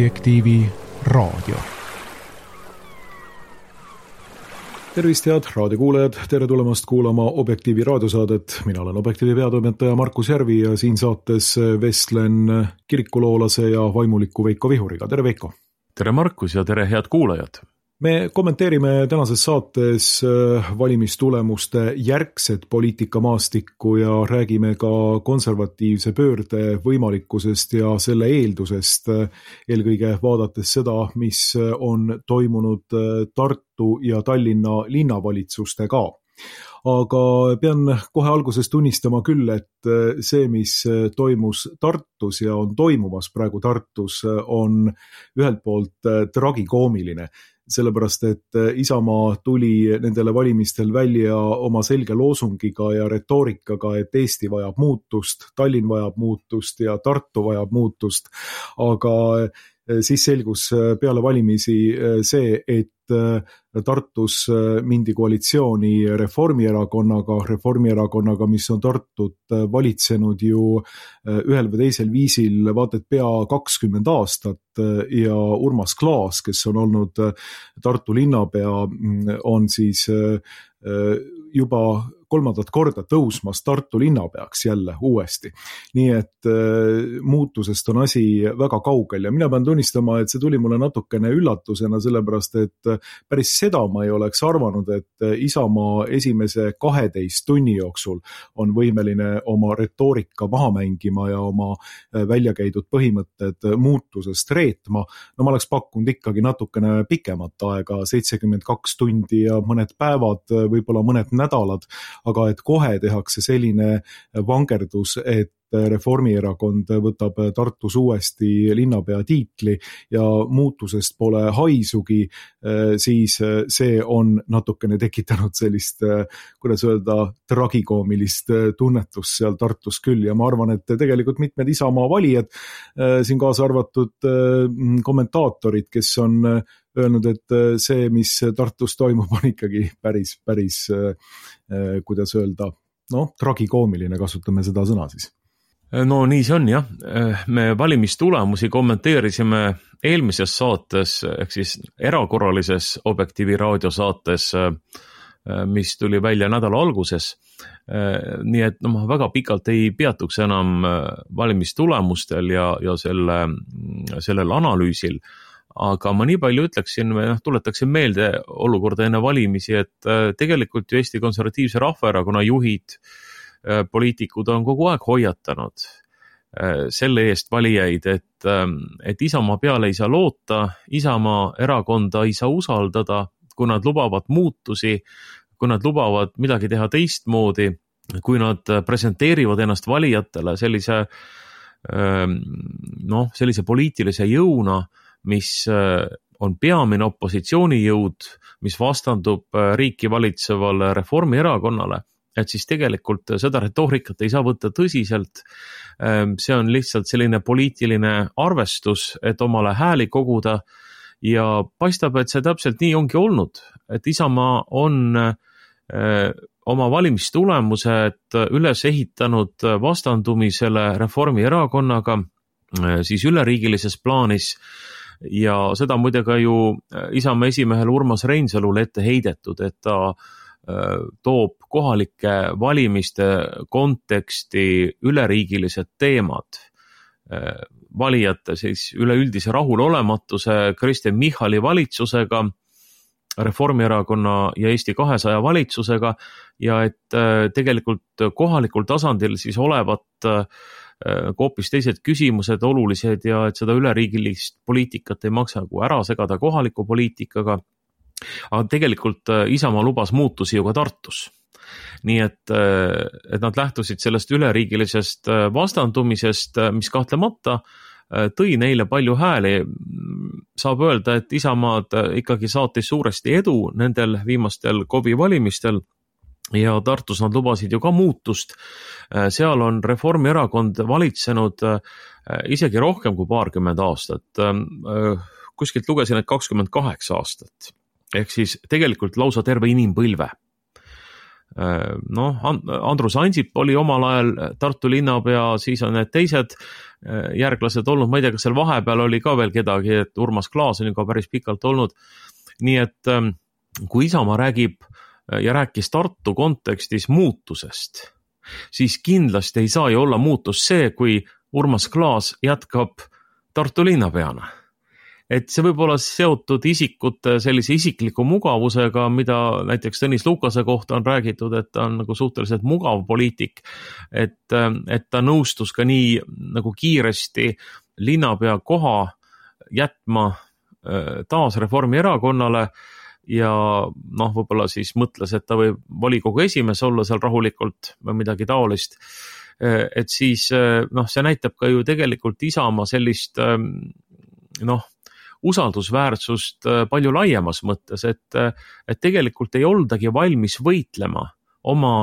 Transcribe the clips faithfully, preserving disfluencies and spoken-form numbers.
Objektiivi raadio. Tervist, head raadiokuulajad, tere tulemast kuulama Objektiivi raadiosaadet. Mina olen Objektiivi peatoimetaja Markus Järvi ja siin saates vestlen kirikuloolase ja vaimuliku Veiko Vihuriga. Tere Veiko! Tere Markus ja tere head kuulajad! Me kommenteerime tänases saates valimistulemuste järgset poliitikamaastikku ja räägime ka konservatiivse pöörde võimalikkusest ja selle eeldusest, eelkõige vaadates seda, mis on toimunud Tartu ja Tallinna linnavalitsustega ka. Aga pean kohe alguses tunnistama küll, et see, mis toimus Tartus ja on toimumas praegu Tartus, on ühelt poolt tragikoomiline. Sellepärast, et Isamaa tuli nendele valimistel välja oma selge loosungiga ja retoorikaga, et Eesti vajab muutust, Tallinn vajab muutust ja Tartu vajab muutust, aga siis selgus peale valimisi see, et Tartus mindi koalitsiooni Reformierakonnaga, Reformierakonnaga, mis on Tartut valitsenud ju ühel või teisel viisil vaated pea kakskümmend aastat ja Urmas Klaas, kes on olnud Tartu linnapea, on siis juba kolmandat korda tõusmas Tartu linnapeaks jälle uuesti. Nii et muutusest on asi väga kaugel ja mina pean tunnistama, et see tuli mulle natukene üllatusena, sellepärast et päris seda ma ei oleks arvanud, et Isamaa esimese kaheteist tunni jooksul on võimeline oma retoorika maha mängima ja oma välja käidud põhimõtted muutusest reetma. No ma oleks pakkunud ikkagi natukene pikemat aega, seitsekümmend kaks tundi ja mõned päevad, võib-olla mõned nädalad, aga et kohe tehakse selline vangerdus, et Reformierakond võtab Tartus uuesti linnapea tiitli ja muutusest pole haisugi, siis see on natukene tekitanud sellist, kuidas öelda, tragikoomilist tunnetust seal Tartus küll ja ma arvan, et tegelikult mitmed Isamaa valijad, siin kaasa arvatud kommentaatorid, kes on öelnud, et see, mis Tartus toimub, on ikkagi päris, päris, kuidas öelda, no, tragikoomiline, kasutame seda sõna siis. No nii see on jah, me valimistulemusi kommenteerisime eelmises saates, ehk siis erakorralises Objektiivi raadiosaates, mis tuli välja nädala alguses. Nii et no, ma väga pikalt ei peatuks enam valimistulemustel ja, ja selle, sellel analüüsil, aga ma nii palju ütleksin, või noh, tuletaksin meelde olukorda enne valimisi, et tegelikult ju Eesti Konservatiivse Rahvaerakonna juhid, poliitikud on kogu aeg hoiatanud selle eest valijaid, et, et Isamaa peale ei saa loota, Isamaa erakonda ei saa usaldada, kui nad lubavad muutusi, kui nad lubavad midagi teha teistmoodi, kui nad presenteerivad ennast valijatele sellise, noh, sellise poliitilise jõuna, mis on peamine opositsioonijõud, mis vastandub riiki valitsevale Reformierakonnale, et siis tegelikult seda retoorikat ei saa võtta tõsiselt. See on lihtsalt selline poliitiline arvestus, et omale hääli koguda ja paistab, et see täpselt nii ongi olnud, et Isamaa on oma valimistulemused üles ehitanud vastandumisele Reformierakonnaga siis üleriigilises plaanis ja seda muide ka ju Isamaa esimehel Urmas Reinsalule ette heidetud, et ta toob kohalike valimiste konteksti üleriigilised teemad. Valijate siis üleüldise rahulolematuse Kristen Michali valitsusega, Reformierakonna ja Eesti kahesaja valitsusega ja et tegelikult kohalikul tasandil siis olevat hoopis teised küsimused olulised ja et seda üleriigilist poliitikat ei maksa ära segada kohaliku poliitikaga. Aga tegelikult Isamaa lubas muutusi ju ka Tartus. Nii et, et nad lähtusid sellest üleriigilisest vastandumisest, mis kahtlemata tõi neile palju hääli. Saab öelda, et Isamaad ikkagi saatis suuresti edu nendel viimastel K O V-i valimistel ja Tartus nad lubasid ju ka muutust. Seal on Reformierakond valitsenud isegi rohkem kui paarkümmend aastat. Kuskilt lugesin, et kakskümmend kaheksa aastat. Ehk siis tegelikult lausa terve inimpõlve. noh, Andrus Ansip oli omal ajal Tartu linnapea, siis on need teised järglased olnud, ma ei tea, kas seal vahepeal oli ka veel kedagi, et Urmas Klaas on ju ka päris pikalt olnud. Nii et kui Isamaa räägib ja rääkis Tartu kontekstis muutusest, siis kindlasti ei saa ju olla muutus see, kui Urmas Klaas jätkab Tartu linnapeana. Et see võib olla seotud isikute sellise isikliku mugavusega, mida näiteks Tõnis Lukase kohta on räägitud, et ta on nagu suhteliselt mugav poliitik, et, et ta nõustus ka nii nagu kiiresti linnapea koha jätma taas Reformierakonnale ja noh, võib-olla siis mõtles, et ta võib volikogu esimees olla seal rahulikult või midagi taolist. Et siis noh, see näitab ka ju tegelikult Isamaa sellist noh, usaldusväärsust palju laiemas mõttes, et, et tegelikult ei oldagi valmis võitlema oma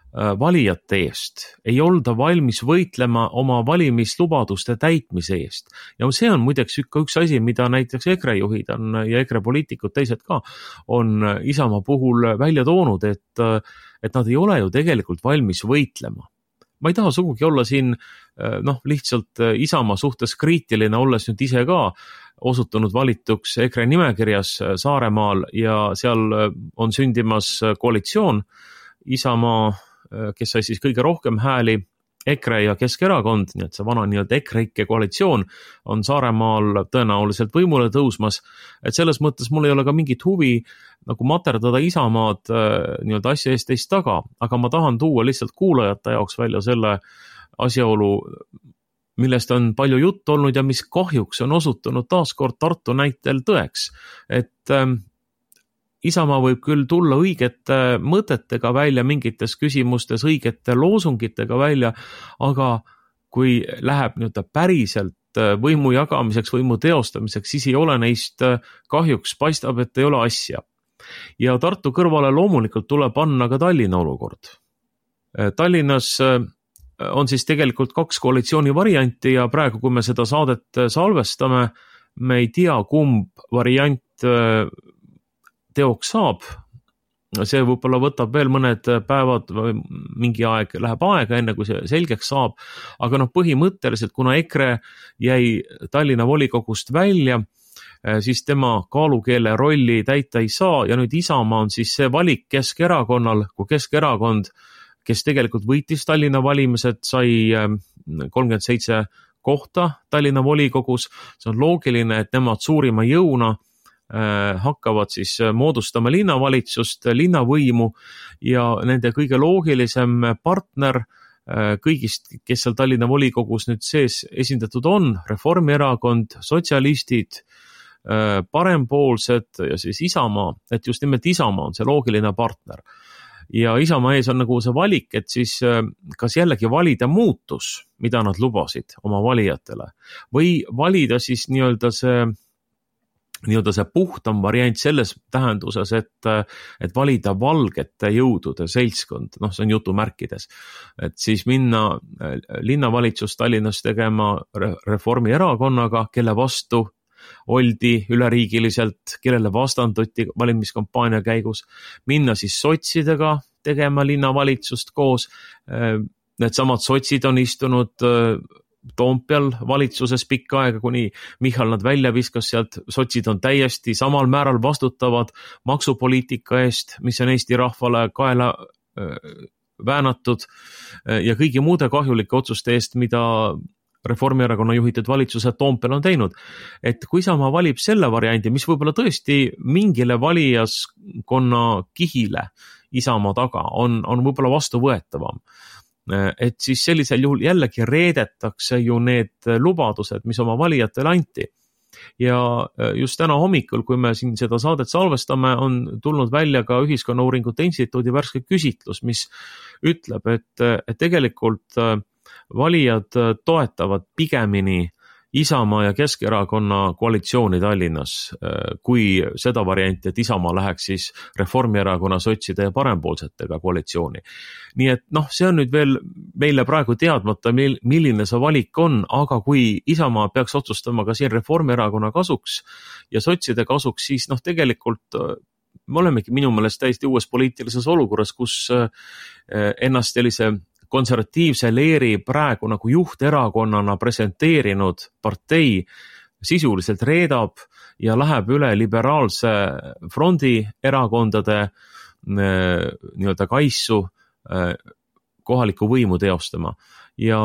valijate eest, ei olda valmis võitlema oma valimislubaduste täitmise eest. Ja see on muideks ka üks asi, mida näiteks EKRE juhid on ja EKRE poliitikud teised ka on Isamaa puhul välja toonud, et, et nad ei ole ju tegelikult valmis võitlema. Ma ei taha sugugi olla siin noh, lihtsalt Isamaa suhtes kriitiline, olles nüüd ise ka osutunud valituks EKRE nimekirjas Saaremaal ja seal on sündimas koalitsioon Isamaa, kes sai siis kõige rohkem hääli, EKRE ja Keskerakond, nii et see vana nii-öelda EKRE-ikke koalitsioon on Saaremaal tõenäoliselt võimule tõusmas, et selles mõttes mul ei ole ka mingit huvi nagu materdada Isamaad nii-öelda asja eest teist taga, aga ma tahan tuua lihtsalt kuulajate jaoks välja selle asjaolu, millest on palju jutt olnud ja mis kahjuks on osutunud taaskord Tartu näitel tõeks, et äh, Isamaa võib küll tulla õigete mõtetega välja mingites küsimustes, õigete loosungitega välja, aga kui läheb nii-öelda päriselt võimu jagamiseks, võimu teostamiseks, siis ei ole neist kahjuks, paistab, et ei ole asja. Ja Tartu kõrvale loomulikult tuleb panna ka Tallinna olukord. Tallinnas on siis tegelikult kaks koalitsiooni varianti ja praegu, kui me seda saadet salvestame, me ei tea, kumb variant teoks saab. See võib-olla võtab veel mõned päevad või mingi aeg läheb aega, enne kui see selgeks saab, aga noh, põhimõtteliselt, kuna EKRE jäi Tallinna volikogust välja, siis tema kaalukeele rolli täita ei saa ja nüüd Isamaa on siis see valik Keskerakonnal, kui Keskerakond, kes tegelikult võitis Tallinna valimised, sai kolmkümmend seitse kohta Tallinna volikogus, see on loogiline, et nemad suurima jõuna hakkavad siis moodustama linnavalitsust, linnavõimu ja nende kõige loogilisem partner kõigist, kes seal Tallinna volikogus nüüd sees esindatud on, Reformierakond, sotsialistid, parempoolsed ja siis Isamaa, et just nimelt Isamaa on see loogiline partner. Ja Isamaa ees on nagu see valik, et siis kas jällegi valida muutus, mida nad lubasid oma valijatele, või valida siis nii-öelda see nii-öelda see puhtam variant selles tähenduses, et, et valida valgete jõudude seltskond, noh, see on jutumärkides, et siis minna linnavalitsust Tallinnas tegema Reformierakonnaga, kelle vastu oldi üleriigiliselt, kellele vastanduti valimiskampaania käigus, minna siis sotsidega tegema linnavalitsust koos, need samad sotsid on istunud Toompeal valitsuses pikka aega, kuni Michal nad välja viskas sealt, sotsid on täiesti samal määral vastutavad maksupoliitika eest, mis on Eesti rahvale kaela väänatud ja kõigi muude kahjulike otsuste eest, mida Reformierakonna juhitud valitsused Toompeal on teinud. Et kui Isamaa valib selle variandi, mis võib-olla tõesti mingile valijaskonna kihile Isamaa taga on, on võib-olla vastuvõetavam, et siis sellisel juhul jällegi reedetakse ju need lubadused, mis oma valijatele anti. Ja just täna hommikul, kui me siin seda saadet salvestame, on tulnud välja ka Ühiskonnauuringute Instituudi värske küsitlus, mis ütleb, et, et tegelikult valijad toetavad pigemini Isamaa ja Keskerakonna koalitsiooni Tallinnas, kui seda varianti, et Isamaa läheks siis Reformierakonna, sotside ja parempoolsetega koalitsiooni. Nii et noh, see on nüüd veel meile praegu teadmata, milline see valik on, aga kui Isamaa peaks otsustama ka siin Reformierakonna kasuks ja sotside kasuks, siis noh, tegelikult me olemegi minu meelest täiesti uues poliitilises olukorras, kus ennast sellise konservatiivse leeri praegu nagu juhterakonnana presenteerinud partei sisuliselt reedab ja läheb üle liberaalse frondi erakondade nii-öelda kaissu kohalikku võimu teostama. Ja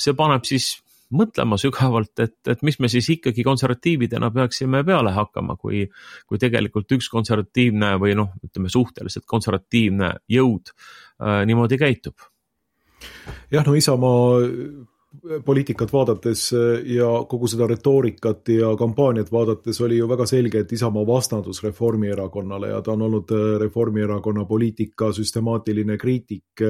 see paneb siis mõtlema sügavalt, et, et mis me siis ikkagi konservatiividena peaksime peale hakkama, kui, kui tegelikult üks konservatiivne või noh, ütleme suhteliselt konservatiivne jõud äh, niimoodi käitub. Jah, no Isamaa poliitikat vaadates ja kogu seda retoorikat ja kampaaniat vaadates oli ju väga selge, et Isamaa vastandus Reformierakonnale ja ta on olnud Reformierakonna poliitika süstemaatiline kriitik,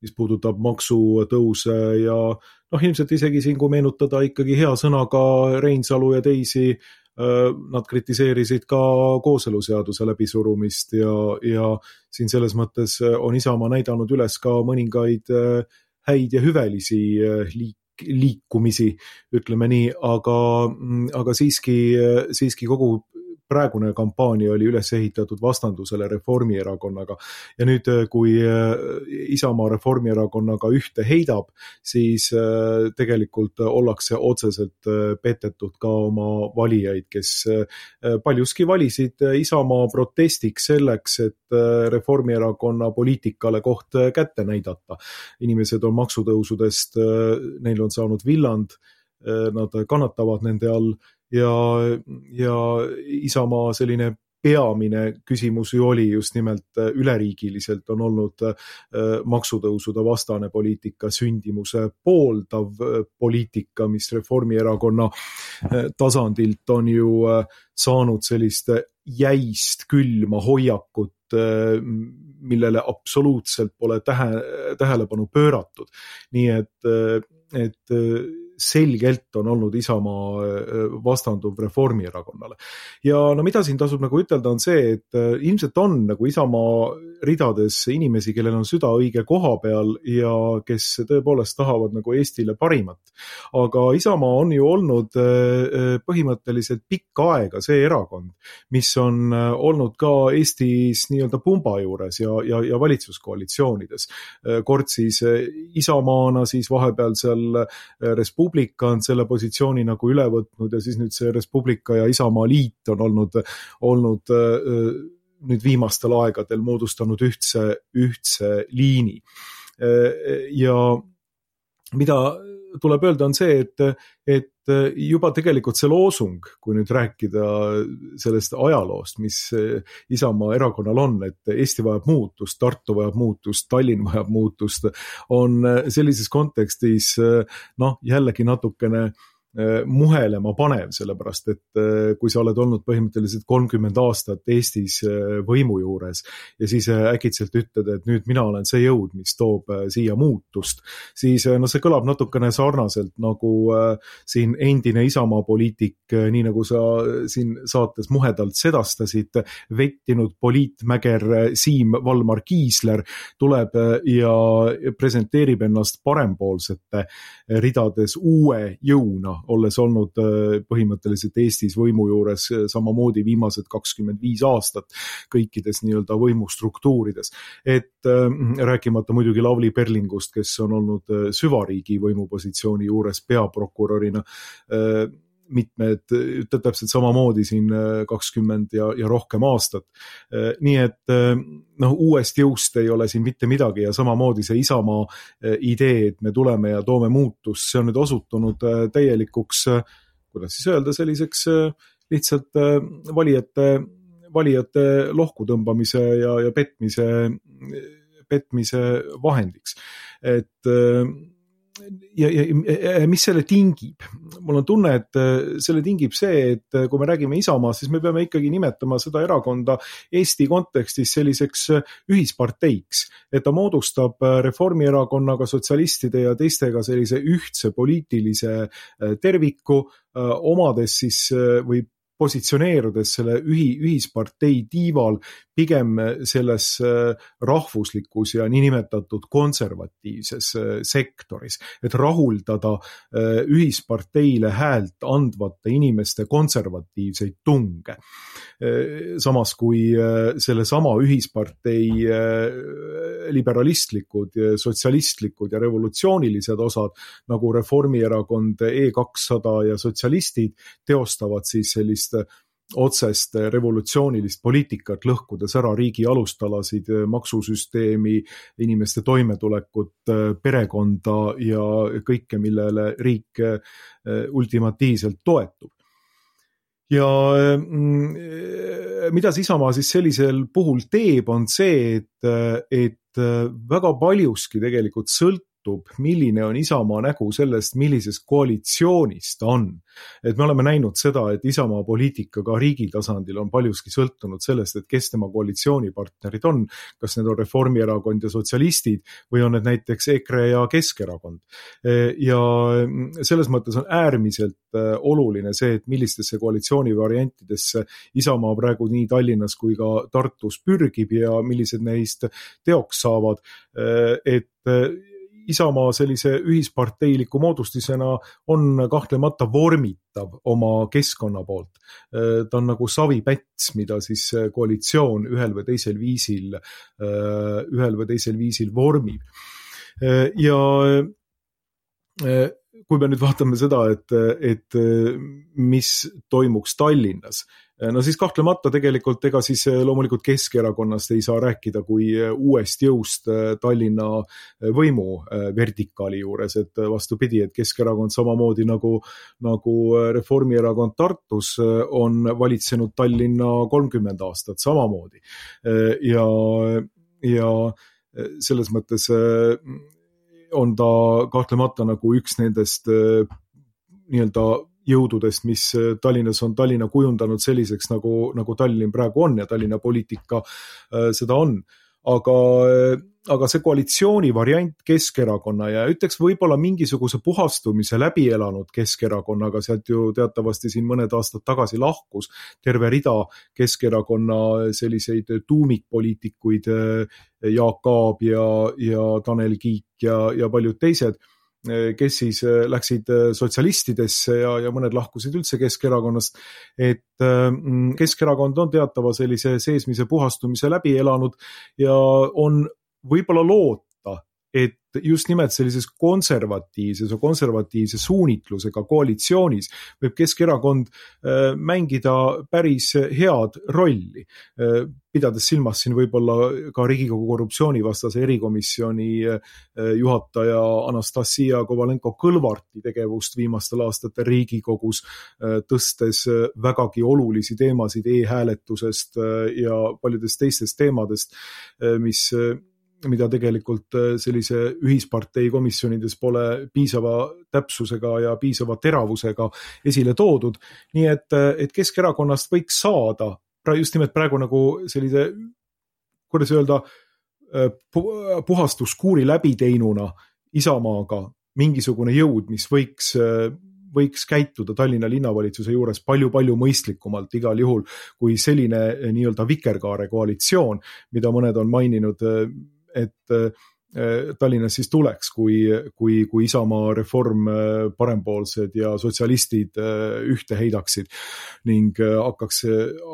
mis puudutab maksutõuse ja noh, ilmselt isegi siin, kui meenutada ikkagi hea sõnaga Reinsalu ja teisi, nad kritiseerisid ka kooseluseaduse läbisurumist ja, ja siin selles mõttes on Isamaa näidanud üles ka mõningaid häid ja hüvelisi liik, liikumisi, ütleme nii, aga, aga siiski, siiski kogu praegune kampaania oli üles ehitatud vastandusele Reformierakonnaga. Ja nüüd, kui Isamaa Reformierakonnaga ühte heidab, siis tegelikult ollakse otseselt petetud ka oma valijaid, kes paljuski valisid Isamaa protestiks selleks, et Reformierakonna poliitikale koht kätte näidata. Inimesed on maksutõusudest, neil on saanud villand, nad kannatavad nende all, ja, ja Isamaa selline peamine küsimus ju oli just nimelt üleriigiliselt on olnud maksutõusude vastane poliitika, sündimuse pooldav poliitika, mis Reformierakonna tasandilt on ju saanud sellist jäist külma hoiakut, millele absoluutselt pole tähe, tähelepanu pööratud. Nii et, et selgelt on olnud Isamaa vastanduv Reformierakonnale. Ja no mida siin tasub nagu ütelda on see, et ilmselt on nagu Isamaa ridades inimesi, kellel on süda õige koha peal ja kes tõepoolest tahavad nagu Eestile parimat. Aga Isamaa on ju olnud põhimõtteliselt pikka aega see erakond, mis on olnud ka Eestis nii-öelda pumba juures ja, ja, ja valitsuskoalitsioonides. Kord siis Isamaana, siis vahepeal seal Respublika on selle positsiooni nagu üle võtnud ja siis nüüd see Respublika ja Isamaa liit on olnud, olnud nüüd viimastel aegadel moodustanud ühtse, ühtse liini. Ja mida tuleb öelda on see, et, et juba tegelikult see loosung, kui nüüd rääkida sellest ajaloost, mis Isamaa erakonnal on, et Eesti vajab muutust, Tartu vajab muutust, Tallinn vajab muutust, on sellises kontekstis noh, jällegi natukene muhelema panev, sellepärast et kui sa oled olnud põhimõtteliselt kolmkümmend aastat Eestis võimu juures ja siis äkitselt ütled, et nüüd mina olen see jõud, mis toob siia muutust, siis no see kõlab natukene sarnaselt nagu siin endine Isamaa poliitik, nii nagu sa siin saates muhedalt sedastasid, vettinud poliitmäger Siim Valmar Kiisler tuleb ja presenteerib ennast parempoolsete ridades uue jõuna, olles olnud põhimõtteliselt Eestis võimu juures samamoodi viimased kakskümmend viis aastat kõikides nii-öelda võimustruktuurides. Et rääkimata muidugi Lavly Perlingust, kes on olnud süvariigi võimupositsiooni juures peaprokurörina mitmed, täpselt samamoodi siin kakskümmend ja, ja rohkem aastat. Nii et noh, uuest jõust ei ole siin mitte midagi ja samamoodi see Isamaa idee, et me tuleme ja toome muutust, see on nüüd osutunud täielikuks, kuidas siis öelda, selliseks lihtsalt valijate, valijate lohku tõmbamise ja, ja petmise, petmise vahendiks. Et Ja, ja, ja mis selle tingib? Mul on tunne, et selle tingib see, et kui me räägime Isamaast, siis me peame ikkagi nimetama seda erakonda Eesti kontekstis selliseks ühisparteiks, et ta moodustab Reformierakonnaga, sotsialistide ja teistega sellise ühtse poliitilise terviku, omades siis või positsioneerudes selle ühi, ühispartei tiival pigem selles rahvuslikus ja niinimetatud konservatiivses sektoris, et rahuldada ühisparteile häält andvate inimeste konservatiivseid tunge. Samas kui selle sama ühispartei liberalistlikud, sotsialistlikud ja revolutsioonilised osad nagu Reformierakond, E kakssada ja sotsialistid teostavad siis sellist otsest revolutsioonilist poliitikat, lõhkudes ära riigi alustalasid, maksusüsteemi, inimeste toimetulekut, perekonda ja kõike, millele riik ultimatiivselt toetub. Ja mida Isamaa siis sellisel puhul teeb, on see, et, et väga paljuski tegelikult sõltub, milline on Isamaa nägu sellest, millises koalitsioonis ta on. Et me oleme näinud seda, et Isamaa poliitika ka riigi tasandil on paljuski sõltunud sellest, et kes tema koalitsioonipartnerid on, kas need on Reformierakond ja sotsialistid või on need näiteks EKRE ja Keskerakond. Ja selles mõttes on äärmiselt oluline see, et millistesse koalitsiooni variantidesse Isamaa praegu nii Tallinnas kui ka Tartus pürgib ja millised neist teoks saavad, et Isamaa sellise ühisparteiliku moodustisena on kahtlemata vormitav oma keskkonna poolt. Ta on nagu savipäts, mida siis koalitsioon ühel või teisel viisil, ühel või teisel viisil vormib. Ja kui me nüüd vaatame seda, et, et mis toimuks Tallinnas, no siis kahtlemata tegelikult ega siis loomulikult Keskerakonnast ei saa rääkida kui uuest jõust Tallinna võimu vertikaali juures, et vastupidi, et Keskerakond samamoodi nagu, nagu Reformierakond Tartus on valitsenud Tallinna kolmkümmend aastat samamoodi. Ja, ja selles mõttes on ta kahtlemata nagu üks nendest nii-öelda jõududest, mis Tallinnas on Tallinna kujundanud selliseks, nagu, nagu Tallinn praegu on ja Tallinna poliitika seda on. Aga, aga see koalitsiooni variant Keskerakonna ja ütleks võib-olla mingisuguse puhastumise läbi elanud Keskerakonnaga, sealt ju teatavasti siin mõned aastad tagasi lahkus terve rida Keskerakonna selliseid tuumikpoliitikuid, Jaak Aab ja, ja Tanel Kiik ja, ja paljud teised, kes siis läksid sotsialistidesse ja, ja mõned lahkusid üldse Keskerakonnast, et Keskerakond on teatava sellise seesmise puhastumise läbi elanud ja on võib-olla loota, et just nimelt sellises konservatiivses ja konservatiivse suunitlusega koalitsioonis võib Keskerakond mängida päris head rolli, pidades silmas siin võib-olla ka Riigikogu korruptsioonivastase erikomisjoni juhataja Anastasia Kovalenko-Kõlvarti tegevust viimastel aastatel Riigikogus, tõstes vägagi olulisi teemasid e-hääletusest ja paljudest teistest teemadest, mis mida tegelikult sellise ühispartei komisjonides pole piisava täpsusega ja piisava teravusega esile toodud. Nii et, et Keskerakonnast võiks saada just nimelt praegu nagu sellise, kuidas öelda, puhastuskuuri läbi teinuna Isamaaga mingisugune jõud, mis võiks võiks käituda Tallinna linnavalitsuse juures palju-palju mõistlikumalt igal juhul kui selline nii-öelda vikerkaare koalitsioon, mida mõned on maininud, et Tallinnas siis tuleks, kui, kui, kui Isamaa, Reform, parempoolsed ja sotsialistid ühte heidaksid ning hakkaks,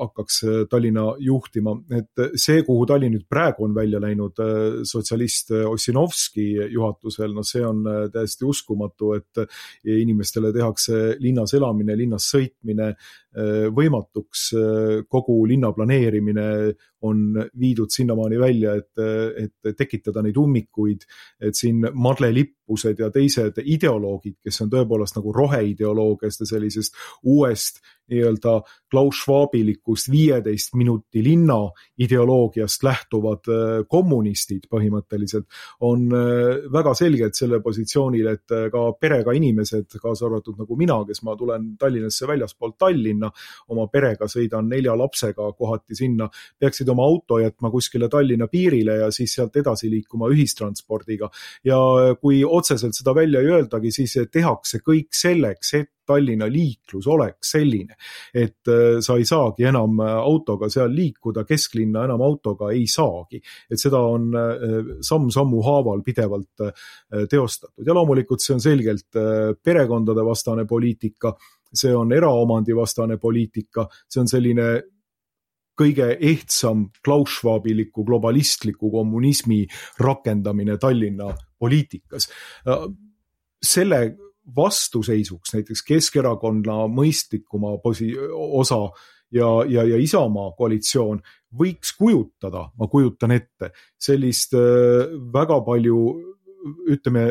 hakkaks Tallinna juhtima. Et see, kuhu Tallinn nüüd praegu on välja läinud sotsialist Ossinovski juhatusel, no see on täiesti uskumatu, et inimestele tehakse linnas elamine, linnas sõitmine võimatuks, kogu linna planeerimine on viidud sinnamaani välja, et, et tekitada neid ummikuid, et siin madlelippused ja teised ideoloogid, kes on tõepoolest nagu roheideoloogist ja sellisest uuest nii-öelda Klaus Schwabilikust viieteist minuti linna ideoloogiast lähtuvad kommunistid põhimõtteliselt, on väga selgelt selle positsioonil, et ka perega inimesed, kaasa arvatud nagu mina, kes ma tulen Tallinnasse väljaspoolt Tallinna, oma perega sõidan nelja lapsega kohati sinna, peaksid oma auto jätma kuskile Tallinna piirile ja siis sealt edasi liikuma ühistranspordiga. Ja kui otseselt seda välja ei öeldagi, siis tehakse kõik selleks, et Tallinna liiklus oleks selline, et sa ei saagi enam autoga seal liikuda, kesklinna enam autoga ei saagi. Et seda on samm-sammu haaval pidevalt teostatud. Ja loomulikult see on selgelt perekondade vastane poliitika, see on eraomandi vastane poliitika, see on selline kõige ehtsam Klaus Schwabiliku globalistliku kommunismi rakendamine Tallinna poliitikas. Selle vastuseisuks näiteks Keskerakonna mõistlikuma posi- osa ja, ja, ja Isamaa koalitsioon võiks kujutada, ma kujutan ette, sellist väga palju, ütleme,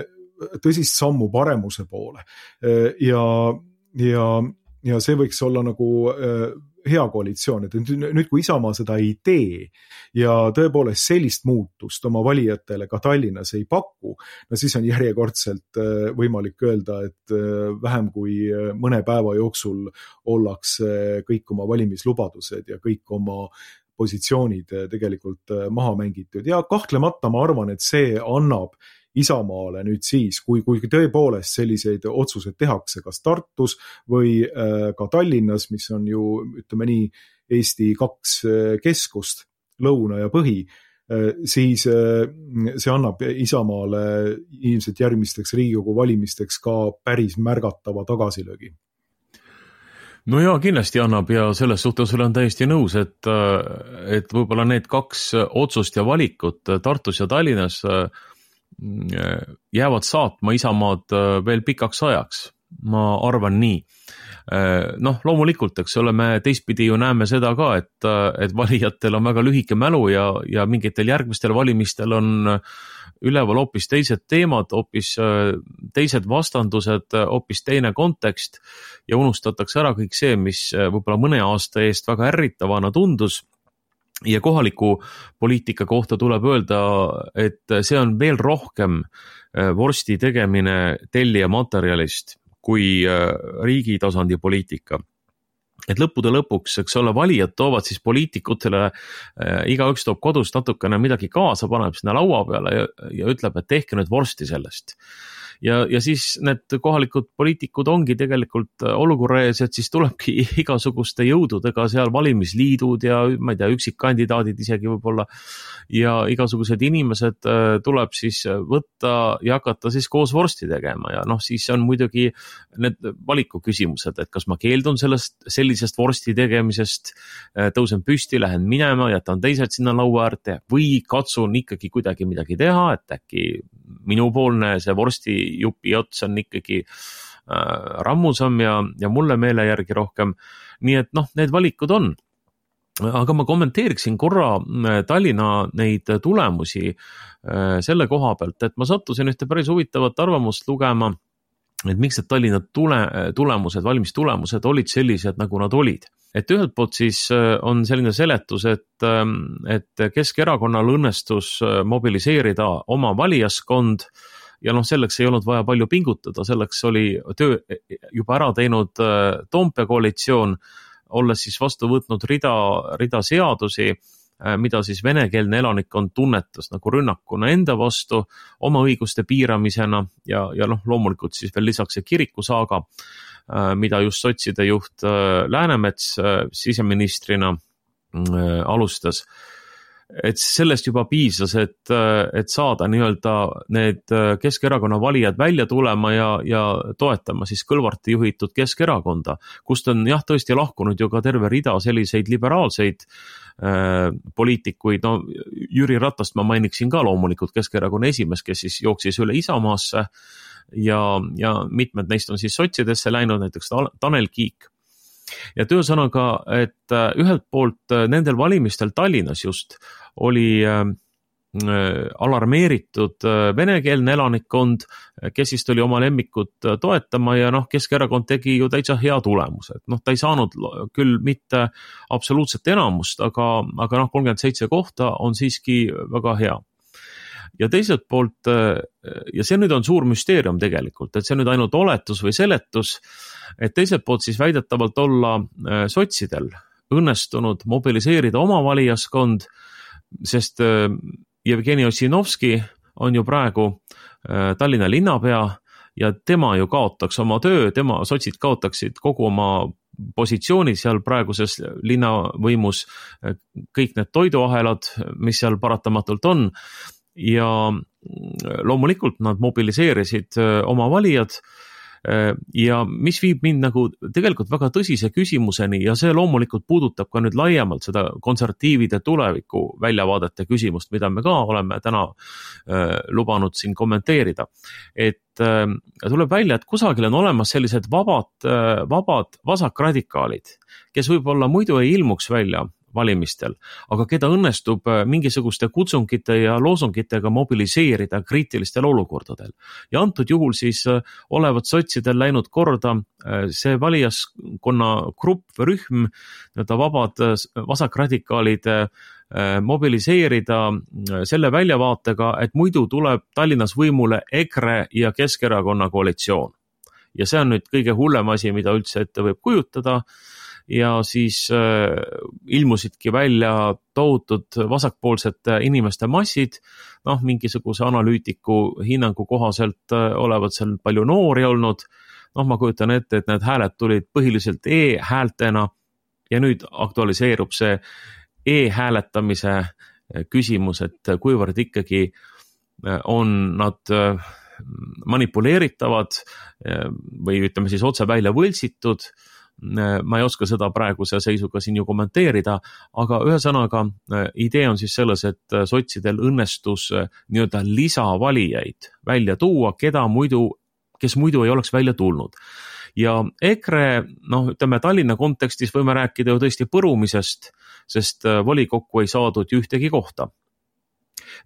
tõsist sammu paremuse poole. Ja, ja, ja see võiks olla nagu hea koalitsioon, et nüüd kui Isamaa seda ei tee ja tõepoolest sellist muutust oma valijatele ka Tallinnas ei paku, no siis on järjekordselt võimalik öelda, et vähem kui mõne päeva jooksul ollakse kõik oma valimislubadused ja kõik oma positsioonid tegelikult maha mängitud ja kahtlemata ma arvan, et see annab Isamaale nüüd siis, kui, kui tõepoolest selliseid otsuseid tehakse kas Tartus või ka Tallinnas, mis on ju, ütleme nii, Eesti kaks keskust, lõuna ja põhi, siis see annab Isamaale ilmselt järgmisteks Riigikogu valimisteks ka päris märgatava tagasilöögi. No jaa, kindlasti annab ja selles suhtes olen täiesti nõus, et, et võib-olla need kaks otsust ja valikut Tartus ja Tallinnas jäävad saatma Isamaad veel pikaks ajaks. Ma arvan nii. Noh, loomulikult, eks ole, me teistpidi ju näeme seda ka, et, et valijatel on väga lühike mälu ja, ja mingitel järgmistel valimistel on üleval hoopis teised teemad, hoopis teised vastandused, hoopis teine kontekst ja unustatakse ära kõik see, mis võib-olla mõne aasta eest väga ärritavana tundus. Ja kohaliku poliitika kohta tuleb öelda, et see on veel rohkem vorsti tegemine tellija materjalist kui riigi tasandi poliitika. Et lõppude lõpuks, eks ole, valijad toovad siis poliitikutele, igaüks toob kodust natukene midagi kaasa, paneb sinna laua peale ja, ja ütleb, et tehke nüüd vorsti sellest. Ja, ja siis need kohalikud poliitikud ongi tegelikult olukorra ees, et siis tulebki igasuguste jõududega seal valimisliidud ja ma ei tea, üksikkandidaadid isegi võib-olla ja igasugused inimesed tuleb siis võtta ja hakata siis koos vorsti tegema ja noh, siis on muidugi need valiku küsimused, et kas ma keeldun sellest, sellisest vorsti tegemisest, tõusen püsti, lähen minema, jätan teised sinna laua äärde või katsun ikkagi kuidagi midagi teha, et äkki minupoolne see vorsti jupi ots on ikkagi äh, rammusam ja, ja mulle meele järgi rohkem. Nii et noh, need valikud on. Aga ma kommenteeriksin korra Tallinna neid tulemusi äh, selle koha pealt, et ma sattusin ühte päris huvitavat arvamust lugema, et miks need Tallinna tule, tulemused, valimistulemused olid sellised, nagu nad olid. Et ühelt poolt siis on selline seletus, et, et Keskerakonnal õnnestus mobiliseerida oma valijaskond ja noh, selleks ei olnud vaja palju pingutada, selleks oli töö juba ära teinud Toompea koalitsioon, olles siis vastu võtnud rida, rida seadusi, mida siis venekeelne elanikkond tunnetas nagu rünnakuna enda vastu, oma õiguste piiramisena ja, ja noh, loomulikult siis veel lisaks see kirikusaaga, mida just sotside juht Läänemets siseministrina alustas. Et sellest juba piisas, et, et saada nii-öelda need Keskerakonna valijad välja tulema ja, ja toetama siis Kõlvarti juhitud Keskerakonda, kust on jah tõesti lahkunud ju ka terve rida selliseid liberaalseid äh, poliitikuid, no Jüri Ratast ma mainiksin ka loomulikult Keskerakonna esimees, kes siis jooksis üle Isamaasse ja, ja mitmed neist on siis sotsidesse läinud, näiteks Tanel Kiik. Ja töösõnaga, et ühelt poolt nendel valimistel Tallinnas just oli alarmeeritud venekeelne elanikkond, kes siis tuli oma lemmikut toetama ja noh, Keskerakond tegi ju täitsa hea tulemuse. No, ta ei saanud küll mitte absoluutset enamust, aga, aga noh, kolmkümmend seitse kohta on siiski väga hea. Ja teiselt poolt, ja see nüüd on suur müsteerium tegelikult, et see nüüd ainult oletus või seletus, et teiselt poolt siis väidetavalt olla sotsidel õnnestunud mobiliseerida oma valijaskond, sest Jevgeni Ossinovski on ju praegu Tallinna linnapea ja tema ju kaotaks oma töö, tema sotsid kaotaksid kogu oma positsiooni seal praeguses linnavõimus, kõik need toiduahelad, mis seal paratamatult on, ja loomulikult nad mobiliseerisid oma valijad, ja mis viib mind nagu tegelikult väga tõsise küsimuseni ja see loomulikult puudutab ka nüüd laiemalt seda konservatiivide tuleviku väljavaadete küsimust, mida me ka oleme täna äh, lubanud siin kommenteerida. Et äh, tuleb välja, et kusagil on olemas sellised vabad, äh, vabad vasakradikaalid, kes võib-olla muidu ei ilmuks välja valimistel, aga keda õnnestub mingisuguste kutsungite ja loosungitega mobiliseerida kriitilistel olukordadel. Ja antud juhul siis olevat sotsidel läinud korda see valijaskonna grupp või rühm, nii-öelda vabad vasakradikaalid mobiliseerida selle väljavaatega, et muidu tuleb Tallinnas võimule EKRE ja Keskerakonna koalitsioon. Ja see on nüüd kõige hullem asi, mida üldse ette võib kujutada. Ja siis äh, ilmusidki välja tohutud vasakpoolsete inimeste massid, noh, mingisuguse analüütiku hinnangu kohaselt äh, olevat seal palju noori olnud, noh, ma kujutan ette, et need hääled tulid põhiliselt e-häältena ja nüüd aktualiseerub see e-hääletamise küsimus, et kuivõrd ikkagi on nad manipuleeritavad või ütleme siis otse välja võltsitud. Ma ei oska seda praeguse seisuga siin ju kommenteerida, aga ühesõnaga idee on siis selles, et sotsidel õnnestus nii-öelda lisavalijaid välja tuua, keda muidu, kes muidu ei oleks välja tulnud. Ja EKRE, noh, ütleme Tallinna kontekstis võime rääkida ju tõesti põrumisest, sest volikokku ei saadud ühtegi kohta.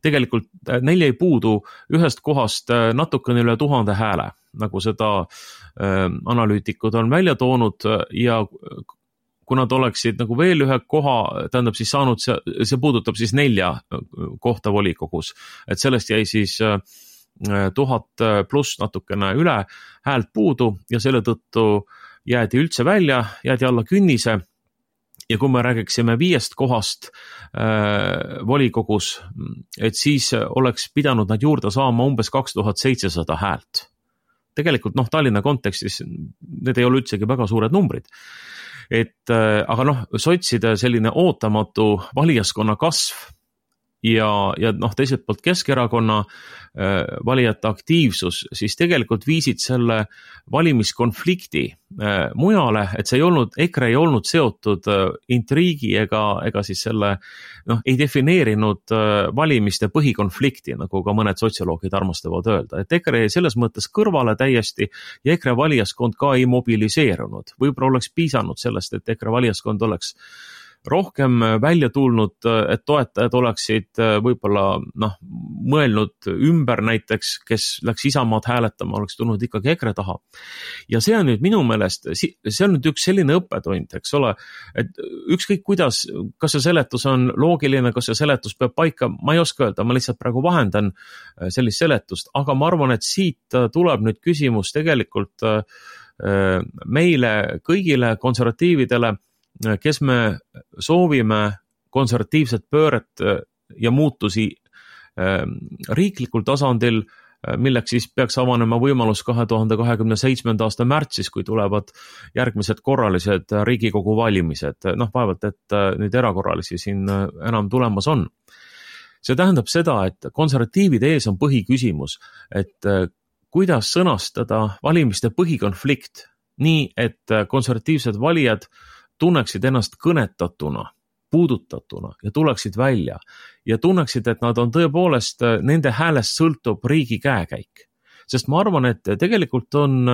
Tegelikult neil ei puudu ühest kohast natukene üle tuhande hääle, nagu seda äh, analüütikud on välja toonud ja kui nad oleksid nagu veel ühe koha, tähendab siis saanud, see, see puudutab siis nelja kohta volikogus, et sellest jäi siis äh, tuhat pluss natukene üle häält puudu ja selle tõttu jäädi üldse välja, jäädi alla künnise. Ja kui me räägiksime viiest kohast äh, volikogus, et siis oleks pidanud nad juurde saama umbes kaks tuhat seitsesada häält. Tegelikult noh, Tallinna kontekstis need ei ole üldsegi väga suured numbrid. Et, äh, aga noh, sotside selline ootamatu valijaskonna kasv ja, ja noh, teiselt poolt Keskerakonna äh, valijate aktiivsus, siis tegelikult viisid selle valimiskonflikti äh, mujale, et see ei olnud, EKRE ei olnud seotud äh, intriigi ega, ega siis selle, noh, ei defineerinud äh, valimiste põhikonflikti, nagu ka mõned sotsioloogid armastavad öelda, et EKRE selles mõttes kõrvale täiesti ja EKRE valijaskond ka ei mobiliseerunud. Võib-olla oleks piisanud sellest, et EKRE valijaskond oleks rohkem välja tulnud, et toetajad oleksid võib-olla noh, mõelnud ümber näiteks, kes läks Isamaad hääletama, oleks tulnud ikkagi EKRE taha. Ja see on nüüd minu meelest, see on nüüd üks selline õppetund, eks ole, et ükskõik kuidas, kas see seletus on loogiline, kas see seletus peab paika, ma ei oska öelda, ma lihtsalt praegu vahendan sellist seletust, aga ma arvan, et siit tuleb nüüd küsimus tegelikult meile kõigile konservatiividele, kes me soovime konservatiivset pööret ja muutusi riiklikul tasandil, milleks siis peaks avanema võimalus kahe tuhande kahekümne seitsmenda aasta märtsis, kui tulevad järgmised korralised Riigikogu valimised. Noh, vaevalt, et nüüd erakorralisi siin enam tulemas on. See tähendab seda, et konservatiivide ees on põhiküsimus, et kuidas sõnastada valimiste põhikonflikt nii, et konservatiivsed valijad tunneksid ennast kõnetatuna, puudutatuna ja tuleksid välja ja tunneksid, et nad on tõepoolest, nende häälest sõltub riigi käekäik. Sest ma arvan, et tegelikult on,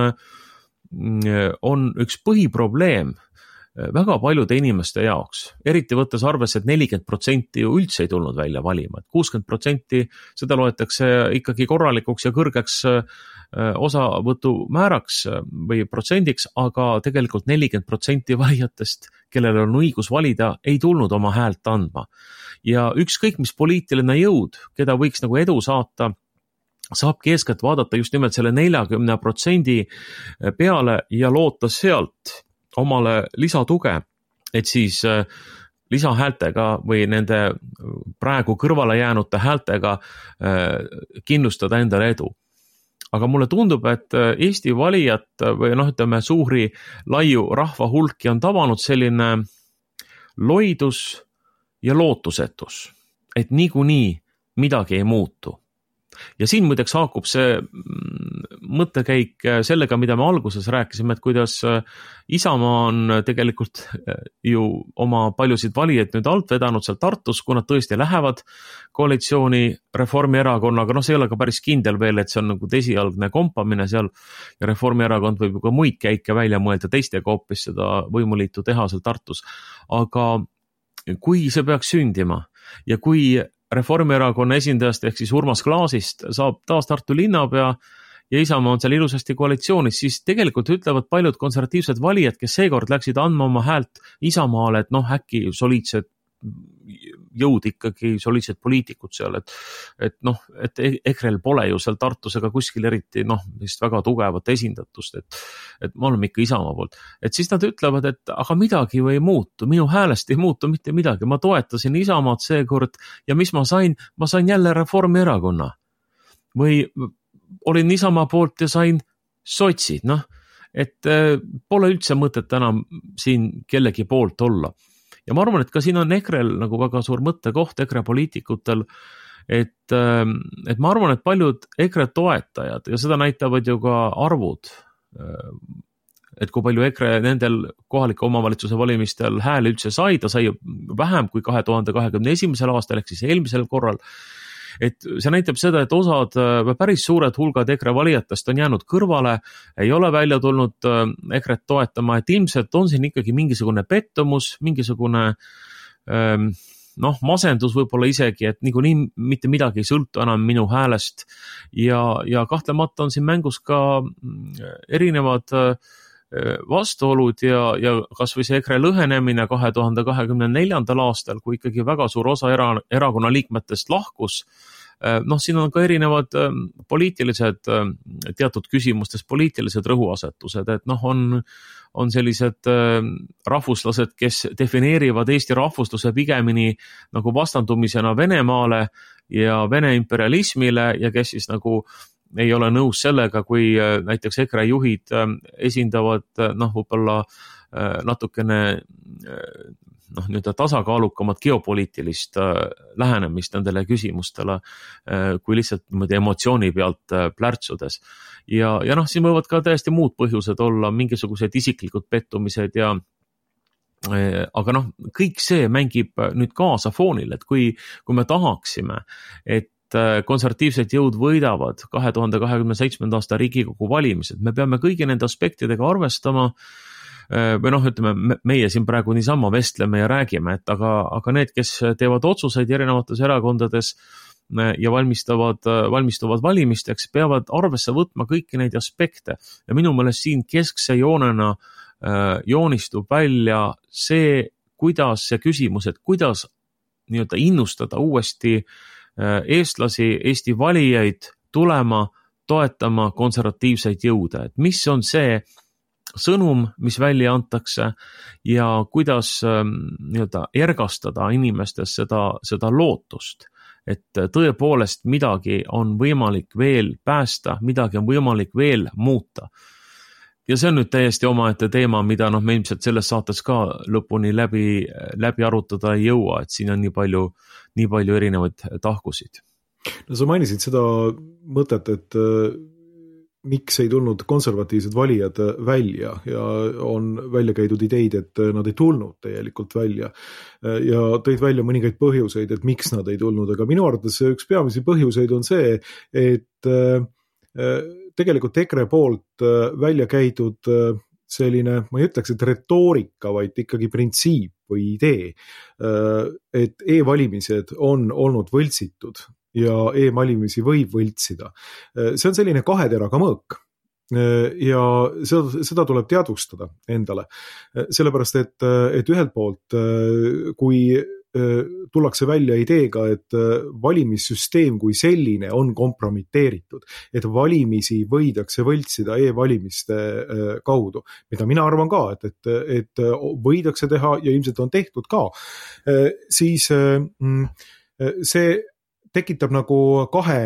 on üks põhiprobleem väga paljude inimeste jaoks, eriti võttes arvesse, et nelikümmend protsenti ju üldse ei tulnud välja valima, et kuuskümmend protsenti seda loetakse ikkagi korralikuks ja kõrgeks osavõtu määraks või protsendiks, aga tegelikult nelikümmend protsenti valijatest, kellel on õigus valida, ei tulnud oma häält andma. Ja ükskõik mis poliitiline jõud, keda võiks nagu edu saata, saabki eeskätt vaadata just nimelt selle neljakümne protsendi peale ja loota sealt omale lisatuge, et siis lisahäältega või nende praegu kõrvale jäänute häältega kindlustada endale edu. aga mulle tundub, et Eesti valijat või noh, ütleme suuri laiu rahva hulki on tabanud selline loidus ja lootusetus, et niikuinii midagi ei muutu. Ja siin muideks haakub see mõttekäik sellega, mida me alguses rääkisime, et kuidas Isamaa on tegelikult ju oma paljusid valijaid nüüd alt vedanud seal Tartus, kui nad tõesti lähevad koalitsiooni Reformierakonnaga, noh see ei ole ka päris kindel veel, et see on nagu esialgne kompamine seal ja Reformierakond võib ju ka muid käike välja mõelda teistega hoopis seda võimuliitu teha seal Tartus. Aga kui see peaks sündima ja kui Reformierakonna esindajast ehk siis Urmas Klaasist saab taas Tartu linnapea ja Isamaa on seal ilusasti koalitsioonis, siis tegelikult ütlevad paljud konservatiivsed valijad, kes seekord läksid andma oma häält Isamaale, et noh, äkki soliidsed jõud ikkagi, soliidsed poliitikud seal, et, et noh, et EKREL pole ju seal Tartus ega kuskil eriti noh, vist väga tugevat esindatust, et, et me oleme ikka Isamaa poolt. Et siis nad ütlevad, et aga midagi ju ei muutu, minu häälest ei muutu mitte midagi, ma toetasin Isamaad seekord ja mis ma sain, ma sain jälle Reformierakonna või olin Isamaa poolt ja sain sotsid, noh, et pole üldse mõtet enam siin kellegi poolt olla. Ja ma arvan, et ka siin on EKREL nagu väga suur mõttekoht EKRE poliitikutel, et, et ma arvan, et paljud EKRE toetajad ja seda näitavad ju ka arvud, et kui palju EKRE nendel kohalike omavalitsuse valimistel hääli üldse sai, ta sai vähem kui kahe tuhande kahekümne esimesel aastal ehk siis eelmisel korral. Et see näitab seda, et osad päris suured hulgad EKRE valijatest on jäänud kõrvale, ei ole välja tulnud EKREt toetama, et ilmselt on siin ikkagi mingisugune pettumus, mingisugune noh, masendus võib-olla isegi, et niikuinii mitte midagi ei sõltu enam minu häälest ja, ja kahtlemata on siin mängus ka erinevad vastuolud ja, ja kas või see EKRE lõhenemine kahe tuhande kahekümne neljandal aastal, kui ikkagi väga suur osa era, erakonna liikmetest lahkus. Noh, siin on ka erinevad poliitilised, teatud küsimustes poliitilised rõhuasetused, et noh, on, on sellised rahvuslased, kes defineerivad Eesti rahvusluse pigemini nagu vastandumisena Venemaale ja Vene imperialismile ja kes siis nagu ei ole nõus sellega, kui näiteks EKRE juhid esindavad noh, võib-olla natukene noh, nüüd tasakaalukamat geopoliitilist lähenemist nendele küsimustele, kui lihtsalt niimoodi emotsiooni pealt plärtsudes. Ja, ja noh, siin võivad ka täiesti muud põhjused olla, mingisugused isiklikud pettumised ja aga noh, kõik see mängib nüüd kaasa foonil, et kui, kui me tahaksime, et konservatiivsed jõud võidavad kahe tuhande kahekümne seitsmenda aasta Riigikogu valimised. Me peame kõigi nende aspektidega arvestama või noh, ütleme, meie siin praegu niisama vestleme ja räägime, et aga, aga need, kes teevad otsuseid erinevates erakondades ja valmistavad, valmistuvad valimisteks, peavad arvesse võtma kõiki neid aspekte. Ja minu meelest siin keskse joonena joonistub välja see, kuidas see küsimus, et kuidas nii-öelda innustada uuesti eestlasi, Eesti valijaid tulema, toetama konservatiivseid jõude, et mis on see sõnum, mis välja antakse ja kuidas nii-öelda ergastada inimestes seda, seda lootust, et tõepoolest midagi on võimalik veel päästa, midagi on võimalik veel muuta. Ja see on nüüd täiesti omaette teema, mida noh, me ilmselt selles saates ka lõpuni läbi, läbi arutada ei jõua, et siin on nii palju, nii palju erinevaid tahkusid. No sa mainisid seda mõtet, et miks ei tulnud konservatiivsed valijad välja ja on välja käidud ideid, et nad ei tulnud tegelikult välja ja tõid välja mõningaid põhjuseid, et miks nad ei tulnud, aga minu arvates üks peamisi põhjuseid on see, et tegelikult EKRE poolt välja käidud selline, ma ei ütleks, et retoorika, vaid ikkagi printsiip või idee, et e-valimised on olnud võltsitud ja e-valimisi võib võltsida. See on selline kahe teraga mõõk ja seda, seda tuleb teadvustada endale. Sellepärast, et, et ühelt poolt, kui tullakse välja ideega, et valimissüsteem kui selline on kompromiteeritud, et valimisi võidakse võltsida e-valimiste kaudu, mida mina arvan ka, et, et, et võidakse teha ja ilmselt on tehtud ka, siis see tekitab nagu kahe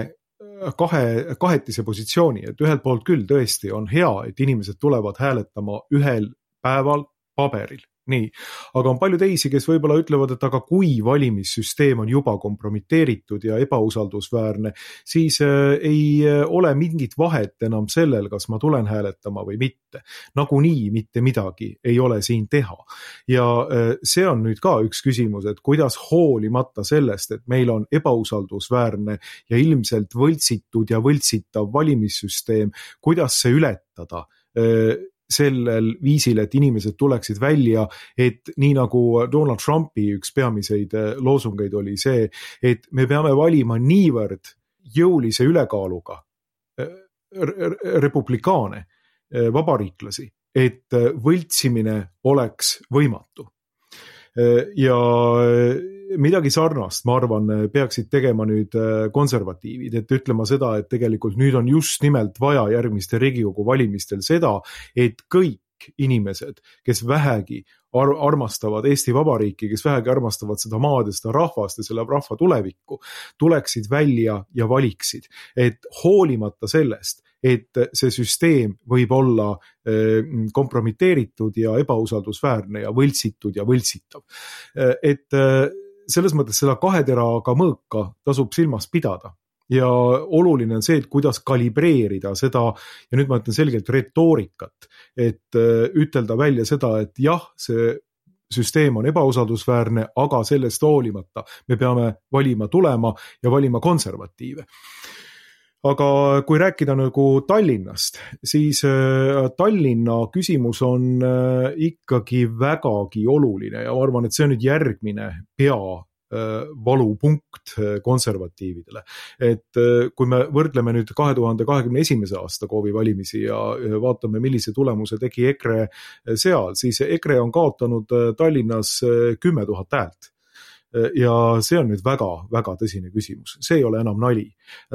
kahe, kahetise positsiooni, et ühelt poolt küll tõesti on hea, et inimesed tulevad hääletama ühel päeval paberil. Nii, aga on palju teisi, kes võib-olla ütlevad, et aga kui valimissüsteem on juba kompromiteeritud ja ebausaldusväärne, siis ei ole mingit vahet enam sellel, kas ma tulen hääletama või mitte. Nagunii mitte midagi ei ole siin teha. Ja see on nüüd ka üks küsimus, et kuidas hoolimata sellest, et meil on ebausaldusväärne ja ilmselt võltsitud ja võltsitav valimissüsteem, kuidas see ületada sellel viisil, et inimesed tuleksid välja, et nii nagu Donald Trumpi üks peamiseid loosungeid oli see, et me peame valima niivõrd jõulise ülekaaluga republikaane, vabariiklasi, et võltsimine oleks võimatu. Ja midagi sarnast, ma arvan, peaksid tegema nüüd konservatiivid, et ütlema seda, et tegelikult nüüd on just nimelt vaja järgmiste Riigikogu valimistel seda, et kõik inimesed, kes vähegi ar- armastavad Eesti Vabariiki, kes vähegi armastavad seda maad ja seda rahvast ja selle rahva tulevikku, tuleksid välja ja valiksid. Et hoolimata sellest, et see süsteem võib olla kompromiteeritud ja ebausaldusväärne ja võltsitud ja võltsitav. Et selles mõttes seda kaheteraga mõõka tasub silmas pidada. Ja oluline on see, et kuidas kalibreerida seda, ja nüüd ma ütlen selgelt retoorikat, et ütelda välja seda, et jah, see süsteem on ebausaldusväärne, aga sellest hoolimata me peame valima tulema ja valima konservatiive. Aga kui rääkida nagu Tallinnast, siis Tallinna küsimus on ikkagi vägagi oluline ja ma arvan, et see on nüüd järgmine pea valupunkt konservatiividele. Et kui me võrdleme nüüd kahe tuhande kahekümne esimese aasta koovi valimisi ja vaatame, millise tulemuse tegi EKRE seal, siis EKRE on kaotanud Tallinnas kümme tuhat häält. Ja see on nüüd väga, väga tõsine küsimus. See ei ole enam nali.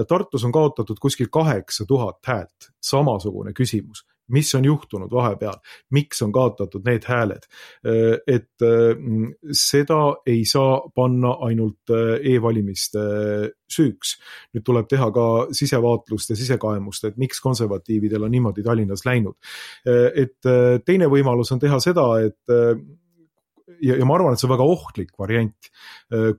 Tartus on kaotatud kuskil kaheksa tuhat häält. Samasugune küsimus. Mis on juhtunud vahepeal? Miks on kaotatud need hääled? Et seda ei saa panna ainult e-valimiste süüks. Nüüd tuleb teha ka sisevaatlust ja sisekaemust, et miks konservatiividel on niimoodi Tallinnas läinud. Et teine võimalus on teha seda, et Ja, ja ma arvan, et see on väga ohtlik variant,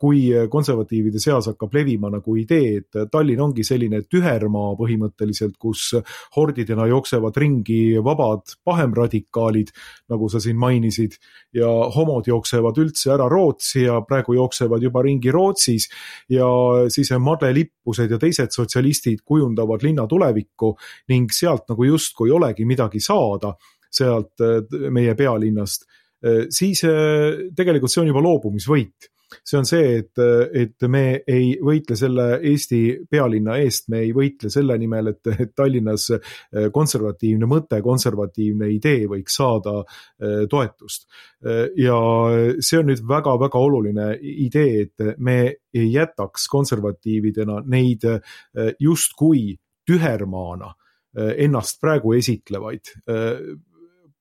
kui konservatiivide seas hakkab levima nagu idee, et Tallinn ongi selline tühermaa põhimõtteliselt, kus hordidena jooksevad ringi vabad pahemradikaalid, nagu sa siin mainisid, ja homod jooksevad üldse ära Rootsi ja praegu jooksevad juba ringi Rootsis ja siis Madle Lippused ja teised sotsialistid kujundavad linna tulevikku ning sealt nagu justkui olegi midagi saada, sealt meie pealinnast. Siis tegelikult see on juba loobumisvõit. See on see, et, et me ei võitle selle Eesti pealinna eest, me ei võitle selle nimel, et, et Tallinnas konservatiivne mõte, konservatiivne idee võiks saada toetust. Ja see on nüüd väga-väga oluline idee, et me ei jätaks konservatiividena neid justkui tühermaana ennast praegu esitlevaid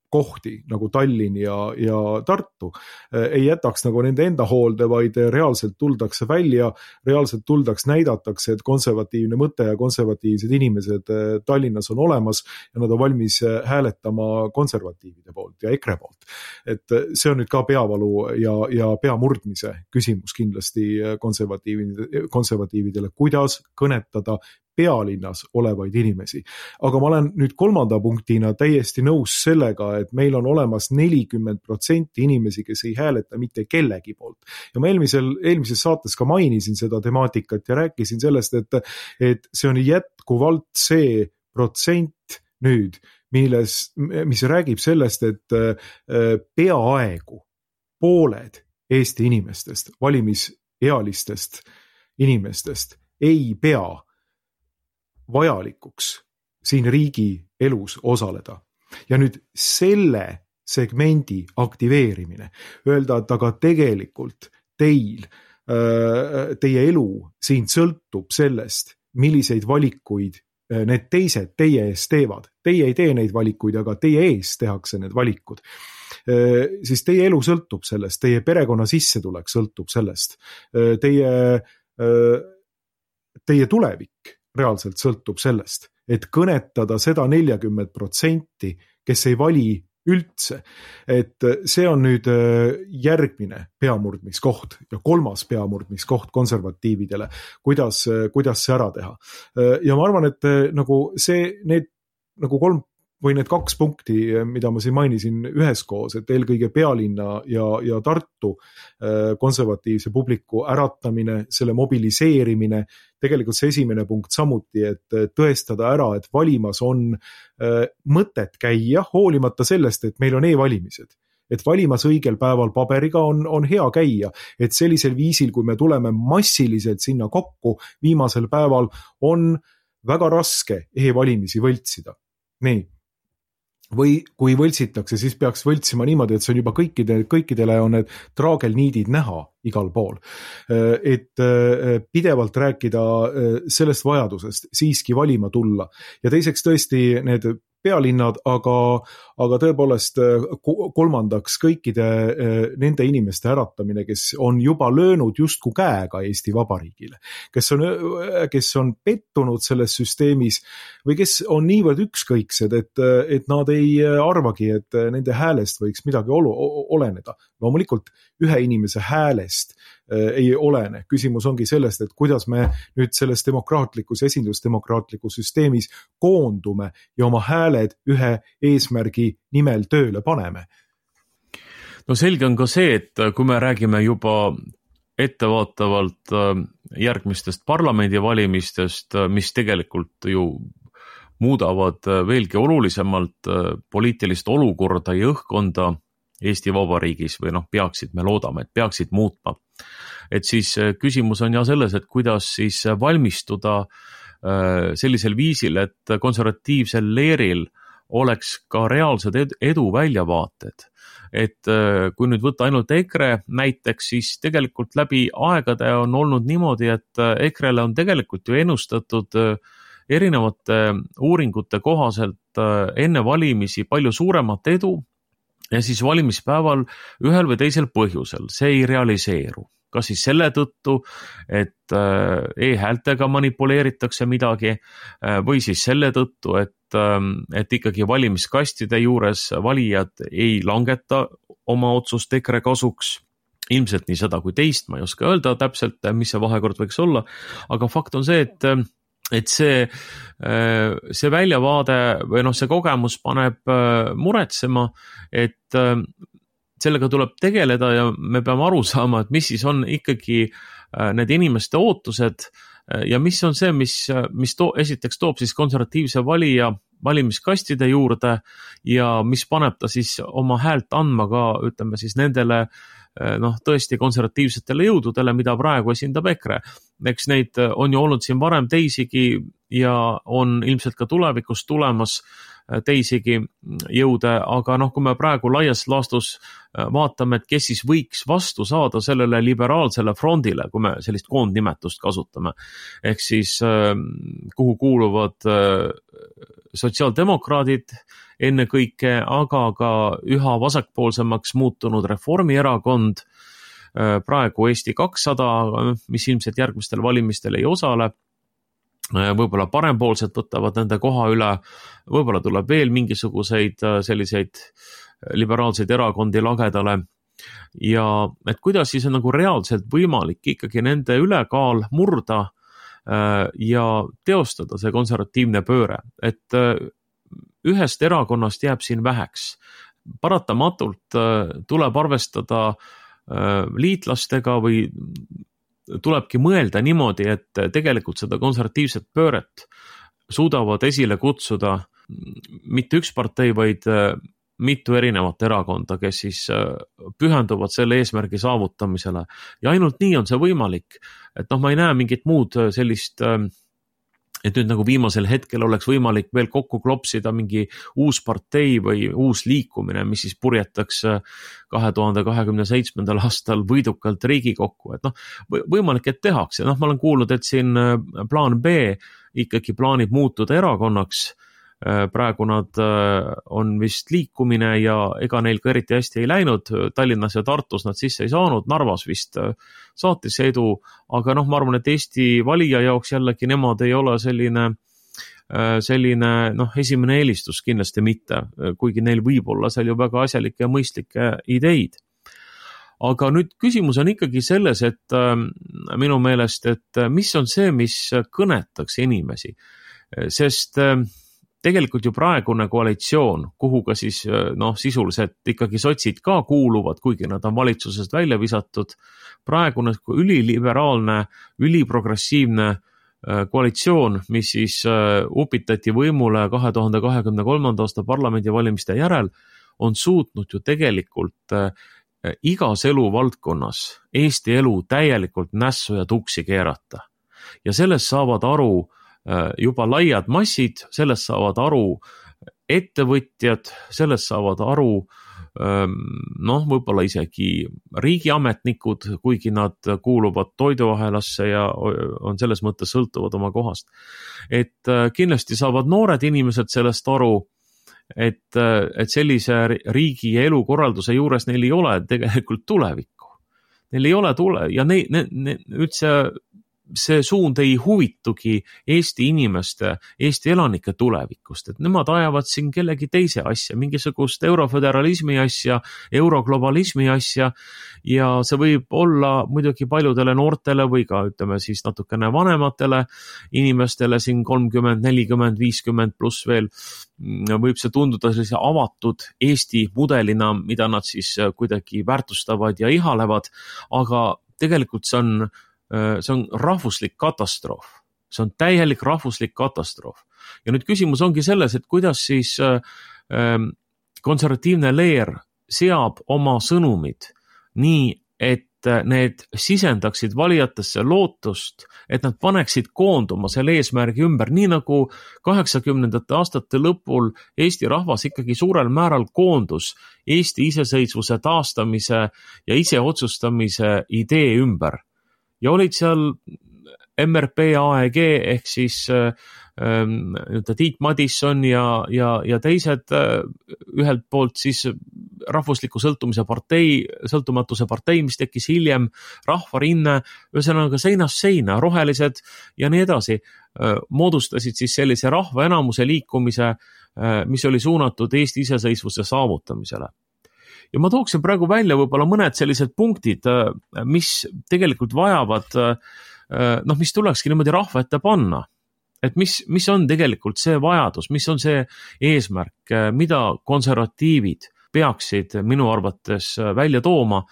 kohti nagu Tallinn ja, ja Tartu ei jätaks nagu nende enda hoolde, vaid reaalselt tuldakse välja, reaalselt tuldaks näidatakse, et konservatiivne mõte ja konservatiivsed inimesed Tallinnas on olemas ja nad on valmis hääletama konservatiivide poolt ja EKRE poolt. Et see on nüüd ka peavalu ja, ja peamurdmise küsimus kindlasti konservatiividele, konservatiividele, kuidas kõnetada pealinnas olevaid inimesi. Aga ma olen nüüd kolmanda punktina täiesti nõus sellega, et meil on olemas nelikümmend protsenti inimesi, kes ei hääleta mitte kellegi poolt. Ja ma eelmisel, eelmises saates ka mainisin seda temaatikat ja rääkisin sellest, et, et see on jätkuvalt see protsent nüüd, milles, mis räägib sellest, et peaaegu pooled Eesti inimestest, valimisealistest inimestest ei pea vajalikuks siin riigi elus osaleda. Ja nüüd selle segmendi aktiveerimine, öelda, et aga tegelikult teil, teie elu siin sõltub sellest, milliseid valikuid need teised teie ees teevad. Teie ei tee neid valikuid, aga teie ees tehakse need valikud. Siis teie elu sõltub sellest, teie perekonna sissetulek sõltub sellest, teie, teie tulevik reaalselt sõltub sellest, et kõnetada seda neljakümmet protsenti, kes ei vali üldse, et see on nüüd järgmine peamurdmiskoht ja kolmas peamurdmiskoht konservatiividele, kuidas, kuidas see ära teha. Ja ma arvan, et nagu see, need nagu kolm või need kaks punkti, mida ma siin mainisin üheskoos, et eelkõige pealinna ja, ja Tartu konservatiivse publiku äratamine, selle mobiliseerimine, tegelikult see esimene punkt samuti, et tõestada ära, et valimas on mõtet käia, hoolimata sellest, et meil on e-valimised. Et valimas õigel päeval paberiga on, on hea käia, et sellisel viisil, kui me tuleme massiliselt sinna kokku, viimasel päeval on väga raske e-valimisi võltsida. Nii. Või kui võltsitakse, siis peaks võltsima niimoodi, et see on juba kõikide, kõikidele on need traagelniidid näha igal pool. Et pidevalt rääkida sellest vajadusest siiski valima tulla. Ja teiseks tõesti need pealinnad, aga, aga tõepoolest kolmandaks kõikide nende inimeste äratamine, kes on juba löönud justku käega Eesti Vabariigile, kes on, kes on pettunud selles süsteemis või kes on niivõrd ükskõiksed, et, et nad ei arvagi, et nende häälest võiks midagi olu, oleneda. Loomulikult ühe inimese häälest ei olene. Küsimus ongi sellest, et kuidas me nüüd selles demokraatlikus, esindusdemokraatlikus süsteemis koondume ja oma hääled ühe eesmärgi nimel tööle paneme. No selge on ka see, et kui me räägime juba ettevaatavalt järgmistest parlamendivalimistest, mis tegelikult ju muudavad veelgi olulisemalt poliitilist olukorda ja õhkkonda Eesti Vabariigis või noh, peaksid, me loodame, et peaksid muutma. Et siis küsimus on ja selles, et kuidas siis valmistuda sellisel viisil, et konservatiivsel leeril oleks ka reaalsed edu väljavaated. Et kui nüüd võtta ainult EKRE näiteks, siis tegelikult läbi aegade on olnud niimoodi, et EKREle on tegelikult ju ennustatud erinevate uuringute kohaselt enne valimisi palju suuremat edu, ja siis valimispäeval ühel või teisel põhjusel see ei realiseeru. Kas siis selle tõttu, et e-häältega manipuleeritakse midagi või siis selle tõttu, et, et ikkagi valimiskastide juures valijad ei langeta oma otsust EKRE kasuks. Ilmselt nii seda kui teist, ma ei oska öelda täpselt, mis see vahekord võiks olla, aga fakt on see, et et see, see väljavaade või noh, see kogemus paneb muretsema, et sellega tuleb tegeleda ja me peame aru saama, et mis siis on ikkagi need inimeste ootused ja mis on see, mis, mis to, esiteks toob siis konservatiivse valija valimiskastide juurde ja mis paneb ta siis oma häält andma ka, ütleme siis nendele noh, tõesti konservatiivsetele jõududele, mida praegu esindab EKRE. Eks neid on ju olnud siin varem teisigi ja on ilmselt ka tulevikus tulemas teisigi jõude, aga noh, kui me praegu laias laastus vaatame, et kes siis võiks vastu saada sellele liberaalsele frondile, kui me sellist koondnimetust kasutame, ehk siis kuhu kuuluvad sotsiaaldemokraadid ennekõike, aga ka üha vasakpoolsemaks muutunud Reformierakond, praegu Eesti kakssada, mis ilmselt järgmistel valimistel ei osale, võib-olla parempoolsed võtavad nende koha üle, võib-olla tuleb veel mingisuguseid selliseid liberaalseid erakondi lagedale ja et kuidas siis on nagu reaalselt võimalik ikkagi nende ülekaal murda ja teostada see konservatiivne pööre, et ühest erakonnast jääb siin väheks. Paratamatult tuleb arvestada liitlastega või tulebki mõelda niimoodi, et tegelikult seda konservatiivset pööret suudavad esile kutsuda mitte üks partei, vaid mitu erinevat erakonda, kes siis pühenduvad selle eesmärgi saavutamisele. Ja ainult nii on see võimalik. Et noh, ma ei näe mingit muud sellist, et nüüd nagu viimasel hetkel oleks võimalik veel kokku klopsida mingi uus partei või uus liikumine, mis siis purjetaks kahe tuhande kahekümne seitsmendal aastal võidukalt Riigikokku. Et noh, võimalik, et tehakse. Noh, ma olen kuulnud, et siin plaan B ikkagi plaanib muutuda erakonnaks, praegu nad on vist liikumine ja ega neil ka eriti hästi ei läinud, Tallinnas ja Tartus nad sisse ei saanud, Narvas vist saatis edu, aga noh, ma arvan, et Eesti valija jaoks jällegi nemad ei ole selline selline noh, esimene eelistus kindlasti mitte, kuigi neil võib olla seal ju väga asjalikke ja mõistlikke ideid. Aga nüüd küsimus on ikkagi selles, et minu meelest, et mis on see, mis kõnetaks inimesi, sest tegelikult ju praegune koalitsioon, kuhu ka siis noh, sisuliselt ikkagi sotsid ka kuuluvad, kuigi nad on valitsusest välja visatud, praegune üliliberaalne, üliprogressiivne koalitsioon, mis siis upitati võimule kahe tuhande kahekümne kolmanda aasta parlamendivalimiste järel, on suutnud ju tegelikult igas eluvaldkonnas Eesti elu täielikult nässu ja tuksi keerata. Ja sellest saavad aru juba laiad massid, sellest saavad aru ettevõtjad, sellest saavad aru noh, võib-olla isegi riigiametnikud, kuigi nad kuuluvad toiduahelasse ja on selles mõttes sõltuvad oma kohast. Et kindlasti saavad noored inimesed sellest aru, et, et sellise riigi ja elukorralduse juures neil ei ole tegelikult tulevikku. Neil ei ole tule ja ne, ne, ne, üldse see suund ei huvitugi Eesti inimeste, Eesti elanike tulevikust, et nemad ajavad siin kellegi teise asja, mingisugust euroföderalismi asja, euroglobalismi asja ja see võib olla muidugi paljudele noortele või ka ütleme siis natukene vanematele inimestele siin kolmkümmend, nelikümmend, viiskümmend pluss veel võib see tunduda sellise avatud Eesti mudelina, mida nad siis kuidagi väärtustavad ja ihalevad, aga tegelikult see on see on rahvuslik katastroof. See on täielik rahvuslik katastroof. Ja nüüd küsimus ongi selles, et kuidas siis konservatiivne leer seab oma sõnumid nii, et need sisendaksid valijatesse lootust, et nad paneksid koonduma selle eesmärgi ümber, nii nagu kaheksakümnendate aastate lõpul Eesti rahvas ikkagi suurel määral koondus Eesti iseseisvuse taastamise ja iseotsustamise idee ümber. Ja olid seal M R P A E G ehk siis ähm, Tiit Madisson ja, ja, ja teised äh, ühelt poolt siis rahvusliku sõltumise partei, sõltumatuse partei, mis tekkis hiljem, rahvarinne, ühesõnaga seinast seina, rohelised ja nii edasi, äh, moodustasid siis sellise rahva enamuse liikumise, äh, mis oli suunatud Eesti iseseisvuse saavutamisele. Ja ma tooksin praegu välja võib-olla mõned sellised punktid, mis tegelikult vajavad, noh, mis tulekski niimoodi rahva ette panna. Et mis, mis on tegelikult see vajadus, mis on see eesmärk, mida konservatiivid peaksid minu arvates välja tooma.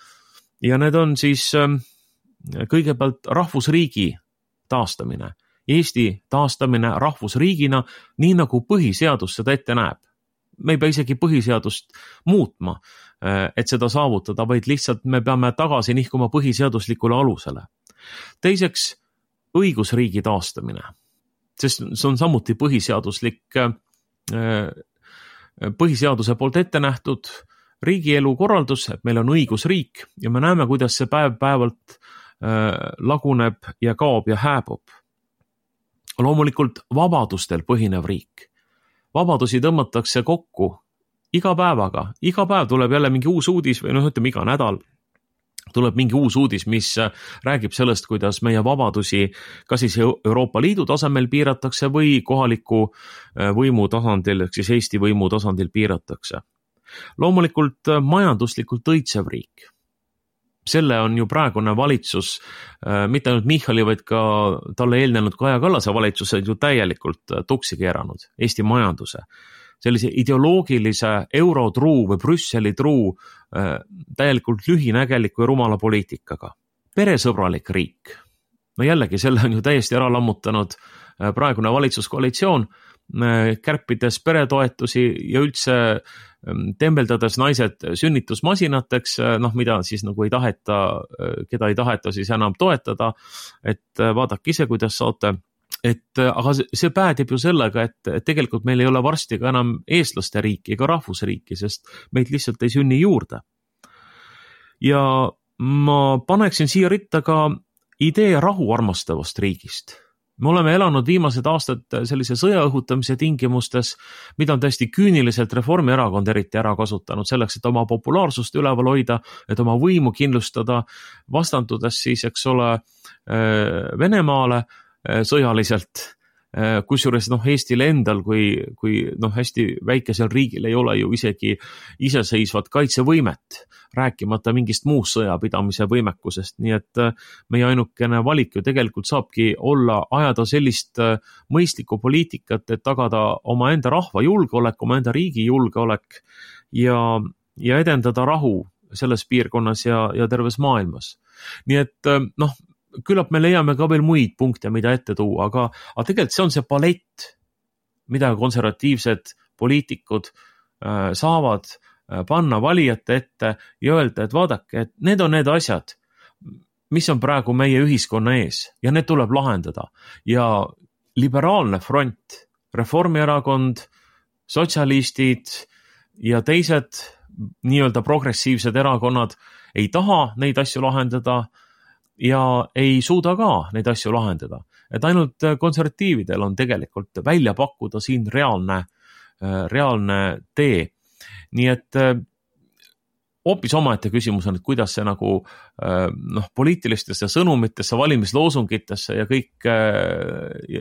Ja need on siis kõigepealt rahvusriigi taastamine. Eesti taastamine rahvusriigina, nii nagu põhiseadus seda ette näeb. Me ei pea isegi põhiseadust muutma, et seda saavutada, vaid lihtsalt me peame tagasi nihkuma põhiseaduslikule alusele. Teiseks, õigusriigi taastamine, sest see on samuti põhiseaduslik, põhiseaduse poolt ette nähtud riigielu korraldus, et meil on õigusriik ja me näeme, kuidas see päev päevalt laguneb ja kaob ja hääbub. Loomulikult vabadustel põhinev riik. Vabadusi tõmmatakse kokku iga päevaga. Iga päev tuleb jälle mingi uus uudis või noh, ütleme iga nädal tuleb mingi uus uudis, mis räägib sellest, kuidas meie vabadusi kas siis Euroopa Liidu tasemel piiratakse või kohaliku võimu tasandil, ehk siis Eesti võimu tasandil piiratakse. Loomulikult majanduslikult õitsev riik. Selle on ju praegune valitsus, mitte ainult Michali, vaid ka talle eelnenud Kaja Kallase valitsused ju täielikult tuksi keeranud Eesti majanduse. Sellise ideoloogilise eurotruu või Brüsseli truu täielikult lühinägeliku ja rumala poliitikaga. Peresõbralik riik. No jällegi, selle on ju täiesti ära lammutanud praegune valitsuskoalitsioon, kärpides peretoetusi ja üldse tembeldades naised sünnitusmasinateks, noh, mida siis nagu ei taheta, keda ei taheta siis enam toetada, et vaadake ise, kuidas saate. Et, aga see päädib ju sellega, et tegelikult meil ei ole varsti ka enam eestlaste riiki ega rahvusriiki, sest meid lihtsalt ei sünni juurde. Ja ma paneksin siia ritta ka idee rahu armastavast riigist. me oleme elanud viimased aastad sellise sõja õhutamise tingimustes, mida on täiesti küüniliselt Reformierakond eriti ära kasutanud selleks, et oma populaarsust üleval hoida, et oma võimu kindlustada, vastandudes siis, eks ole, Venemaale sõjaliselt, kusjuures noh, Eestil endal kui, kui noh, hästi väikesel riigil ei ole ju isegi iseseisvat kaitsevõimet, rääkimata mingist muust sõjapidamise võimekusest, nii et meie ainukene valik ju tegelikult saabki olla ajada sellist mõistlikku poliitikat, et tagada oma enda rahva julgeolek, oma enda riigi julgeolek ja, ja edendada rahu selles piirkonnas ja, ja terves maailmas. Nii et noh, küllap me leiame ka veel muid punkte, mida ette tuua, aga, aga tegelikult see on see palett, mida konservatiivsed poliitikud äh, saavad äh, panna valijate ette ja öelda, et vaadake, et need on need asjad, mis on praegu meie ühiskonna ees ja need tuleb lahendada. Ja liberaalne front, Reformierakond, sotsialistid ja teised nii-öelda progressiivsed erakonnad ei taha neid asju lahendada ja ei suuda ka neid asju lahendada. Et ainult konservatiividel on tegelikult välja pakkuda siin reaalne, reaalne tee. Nii et hoopis omaette küsimus on, et kuidas see nagu noh, poliitilistesse sõnumitesse, valimisloosungitesse ja kõik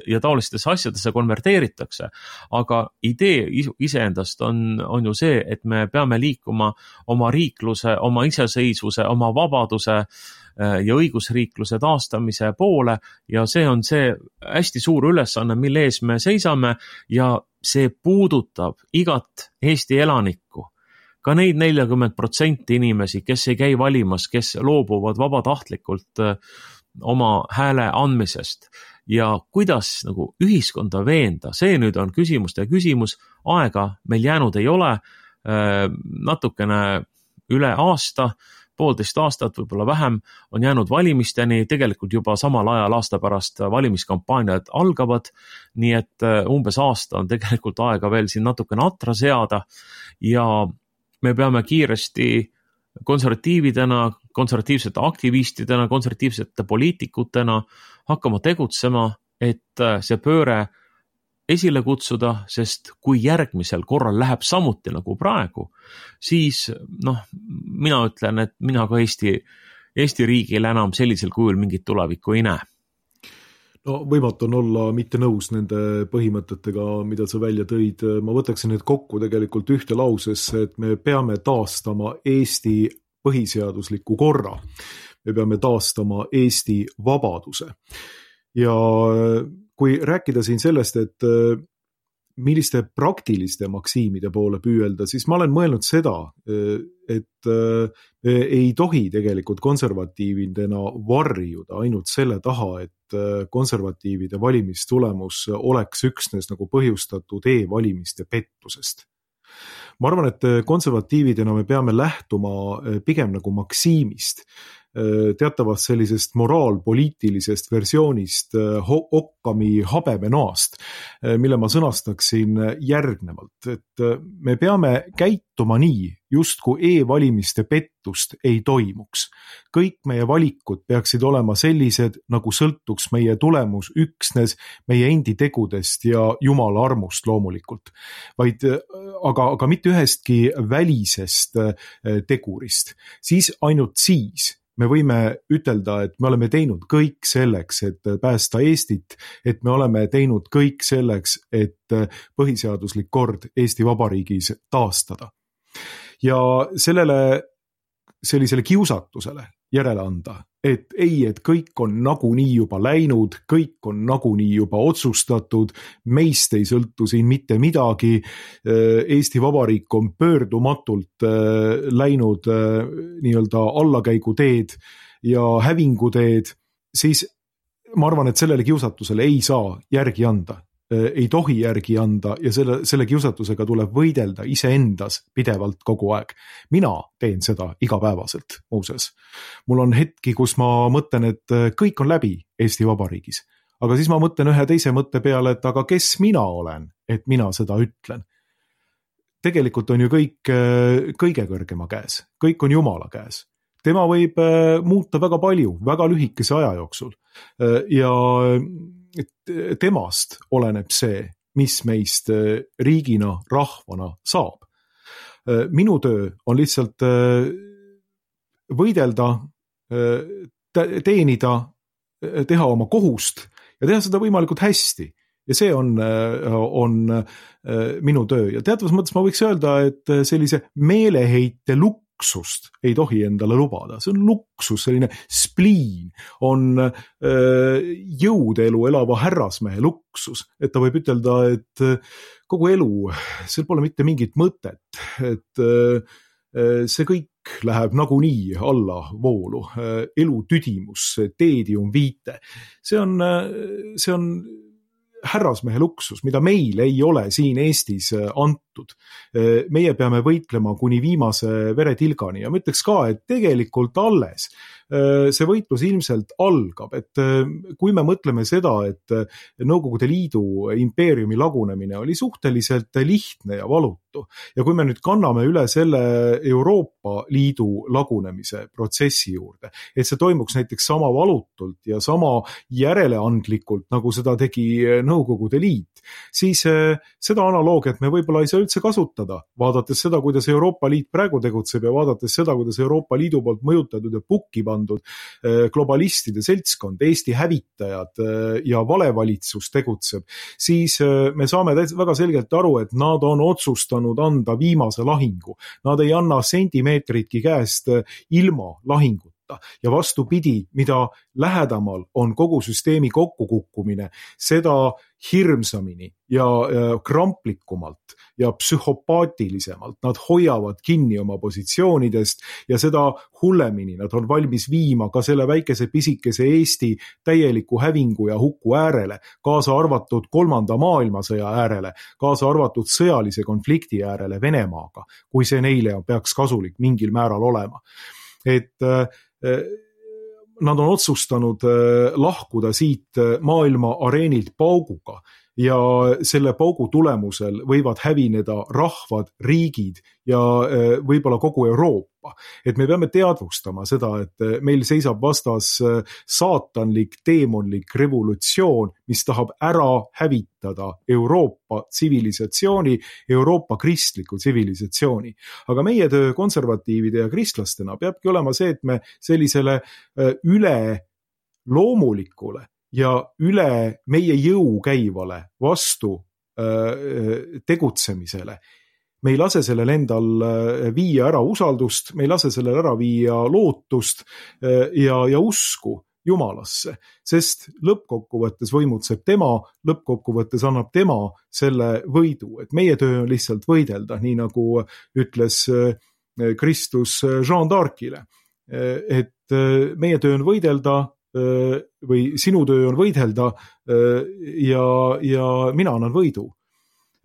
ja taolistesse asjadesse konverteeritakse. Aga idee iseendast on, on ju see, et me peame liikuma oma riikluse, oma iseseisvuse, oma vabaduse ja õigusriikluse taastamise poole ja see on see hästi suur ülesanne, mille ees me seisame ja see puudutab igat Eesti elanikku. Ka neid nelikümmend protsenti inimesi, kes ei käi valimas, kes loobuvad vabatahtlikult oma hääle andmisest ja kuidas nagu ühiskonda veenda, see nüüd on küsimuste küsimus, aega meil jäänud ei ole, natukene üle aasta, poolteist aastat, võib-olla vähem, on jäänud valimisteni, tegelikult juba samal ajal aasta pärast valimiskampaaniad algavad, nii et umbes aasta on tegelikult aega veel siin natukene atra seada ja me peame kiiresti konservatiividena, konservatiivsete aktivistidena, konservatiivsete poliitikutena hakkama tegutsema, et see pööre esile kutsuda, sest kui järgmisel korral läheb samuti nagu praegu, siis noh, mina ütlen, et mina ka Eesti, Eesti riigil enam sellisel kujul mingit tulevikku ei näe. No võimatu on olla mitte nõus nende põhimõtetega, mida sa välja tõid. Ma võtaksin need kokku tegelikult ühte lausesse, et me peame taastama Eesti põhiseadusliku korra. Me peame taastama Eesti vabaduse. Ja kui rääkida siin sellest, et milliste praktiliste maksiimide poole püüelda, siis ma olen mõelnud seda, et ei tohi tegelikult konservatiividena varjuda ainult selle taha, et konservatiivide valimistulemus oleks üksnes nagu põhjustatud e-valimiste pettusest. Ma arvan, et konservatiividena me peame lähtuma pigem nagu maksiimist, teatavast sellisest moraalpoliitilisest versioonist Occami habemenoast, mille ma sõnastaksin järgnevalt, et me peame käituma nii, justku e-valimiste pettust ei toimuks. Kõik meie valikud peaksid olema sellised, nagu sõltuks meie tulemus üksnes meie endi tegudest ja Jumala armust loomulikult, vaid aga, aga mitte ühestki välisest tegurist. Siis ainult siis me võime ütelda, et me oleme teinud kõik selleks, et päästa Eestit, et me oleme teinud kõik selleks, et põhiseaduslik kord Eesti Vabariigis taastada. Ja sellele, sellisele kiusatusele järele anda, et ei, et kõik on nagunii juba läinud, kõik on nagunii juba otsustatud, meist ei sõltu siin mitte midagi, Eesti Vabariik on pöördumatult läinud nii-öelda allakäiguteed ja hävinguteed, siis ma arvan, et sellele kiusatusele ei saa järgi anda. Ei tohi järgi anda ja selle, selle kiusatusega tuleb võidelda iseendas pidevalt kogu aeg. Mina teen seda igapäevaselt, muuses. Mul on hetki, kus ma mõtlen, et kõik on läbi Eesti Vabariigis. Aga siis ma mõtlen ühe teise mõtte peale, et aga kes mina olen, et mina seda ütlen. Tegelikult on ju kõik kõige kõrgema käes. Kõik on Jumala käes. Tema võib muuta väga palju, väga lühikese aja jooksul. Ja temast oleneb see, mis meist riigina, rahvana saab. Minu töö on lihtsalt võidelda, teenida, teha oma kohust ja teha seda võimalikult hästi. Ja see on, on minu töö. Ja teatavas mõttes ma võiks öelda, et sellise meeleheite luksust ei tohi endale lubada. See on luksus, selline spliin, on jõudelu elava härrasmehe luksus. Et ta võib ütelda, et kogu elu, seal pole mitte mingit mõtet, et see kõik läheb nagunii alla voolu. Elu tüdimus, teedium viite. See on, see on härrasmehe luksus, mida meil ei ole siin Eestis antud. Meie peame võitlema kuni viimase veretilgani ja ma ütleks ka, et tegelikult alles see võitlus ilmselt algab, et kui me mõtleme seda, et Nõukogude Liidu impeeriumi lagunemine oli suhteliselt lihtne ja valutu ja kui me nüüd kanname üle selle Euroopa Liidu lagunemise protsessi juurde, et see toimuks näiteks sama valutult ja sama järeleandlikult, nagu seda tegi Nõukogude Liit, siis seda analoogiat me võib-olla ei saa üldse kasutada, vaadates seda, kuidas Euroopa Liit praegu tegutseb ja vaadates seda, kuidas Euroopa Liidu poolt mõjutatud ja pukki pandud globalistide seltskond, Eesti hävitajad ja valevalitsus tegutseb, siis me saame väga selgelt aru, et nad on otsustanud anda viimase lahingu. Nad ei anna sentimeetritki käest ilma lahingut. Ja vastupidi, mida lähedamal on kogu süsteemi kokkukukkumine, seda hirmsamini ja kramplikumalt ja psühhopaatilisemalt nad hoiavad kinni oma positsioonidest ja seda hullemini nad on valmis viima ka selle väikese pisikese Eesti täieliku hävingu ja huku äärele, kaasa arvatud kolmanda maailmasõja äärele, kaasa arvatud sõjalise konflikti äärele Venemaaga, kui see neile peaks kasulik mingil määral olema. Et nad on otsustanud lahkuda siit maailma areenilt pauguga ja selle paugu tulemusel võivad hävineda rahvad, riigid ja võib-olla kogu Euroopa. Et me peame teadvustama seda, et meil seisab vastas saatanlik, teemonlik revolutsioon, mis tahab ära hävitada Euroopa tsivilisatsiooni, Euroopa kristliku tsivilisatsiooni. Aga meie töö konservatiivide ja kristlastena peabki olema see, et me sellisele üle loomulikule ja üle meie jõu käivale vastu tegutsemisele. Me ei lase sellel endal viia ära usaldust, me ei lase sellel ära viia lootust ja, ja usku Jumalasse, sest lõppkokkuvõttes võimutseb tema, lõppkokkuvõttes annab tema selle võidu, et meie töö on lihtsalt võidelda, nii nagu ütles Kristus Jean d'Arcile, et meie töö on võidelda või sinu töö on võidelda ja, ja mina annan võidu.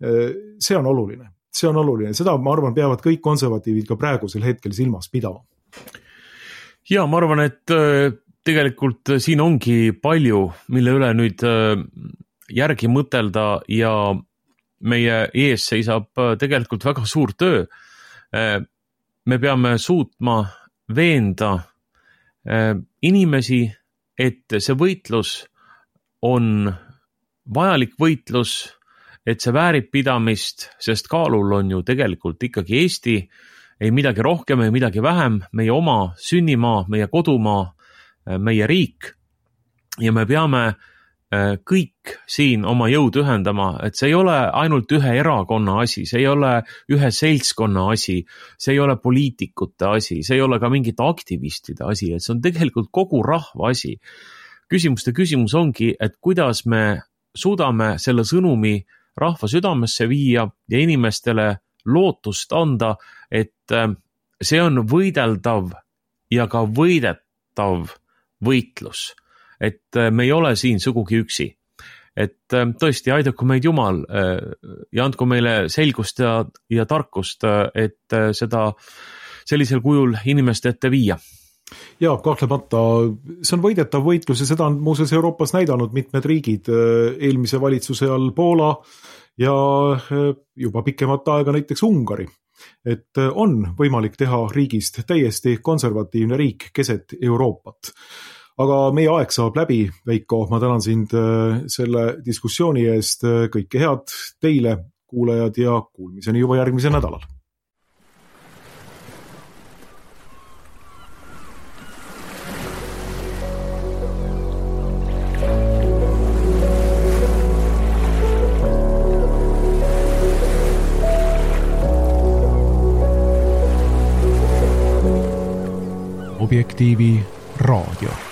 See on oluline. See on oluline. Seda, ma arvan, peavad kõik konservatiivid ka praegusel hetkel silmas pidama. Ja, ma arvan, et tegelikult siin ongi palju, mille üle nüüd järgi mõtelda ja meie ees seisab tegelikult väga suur töö. Me peame suutma veenda inimesi, et see võitlus on vajalik võitlus, et see väärib pidamist, sest kaalul on ju tegelikult ikkagi Eesti, ei midagi rohkem, ei midagi vähem, meie oma sünnimaa, meie kodumaa, meie riik ja me peame kõik siin oma jõud ühendama, et see ei ole ainult ühe erakonna asi, see ei ole ühe seltskonna asi, see ei ole poliitikute asi, see ei ole ka mingite aktivistide asi, et see on tegelikult kogu rahva asi. Küsimuste küsimus ongi, et kuidas me suudame selle sõnumi rahva südamesse viia ja inimestele lootust anda, et see on võideldav ja ka võidetav võitlus. Et me ei ole siin sugugi üksi. Et tõesti, aidaku meid Jumal ja andku meile selgust ja, ja tarkust, et seda sellisel kujul inimeste ette viia. Ja, kahtlemata, see on võidetav võitlus ja seda on muuseas Euroopas näidanud mitmed riigid eelmise valitsuse all Poola ja juba pikemat aega näiteks Ungari. Et on võimalik teha riigist täiesti konservatiivne riik keset Euroopat. aga meie aeg saab läbi, Veiko, ma tänan sind selle diskussiooni eest, kõike head teile, kuulajad, ja kuulmiseni juba järgmisel nädalal. Objektiivi raadio.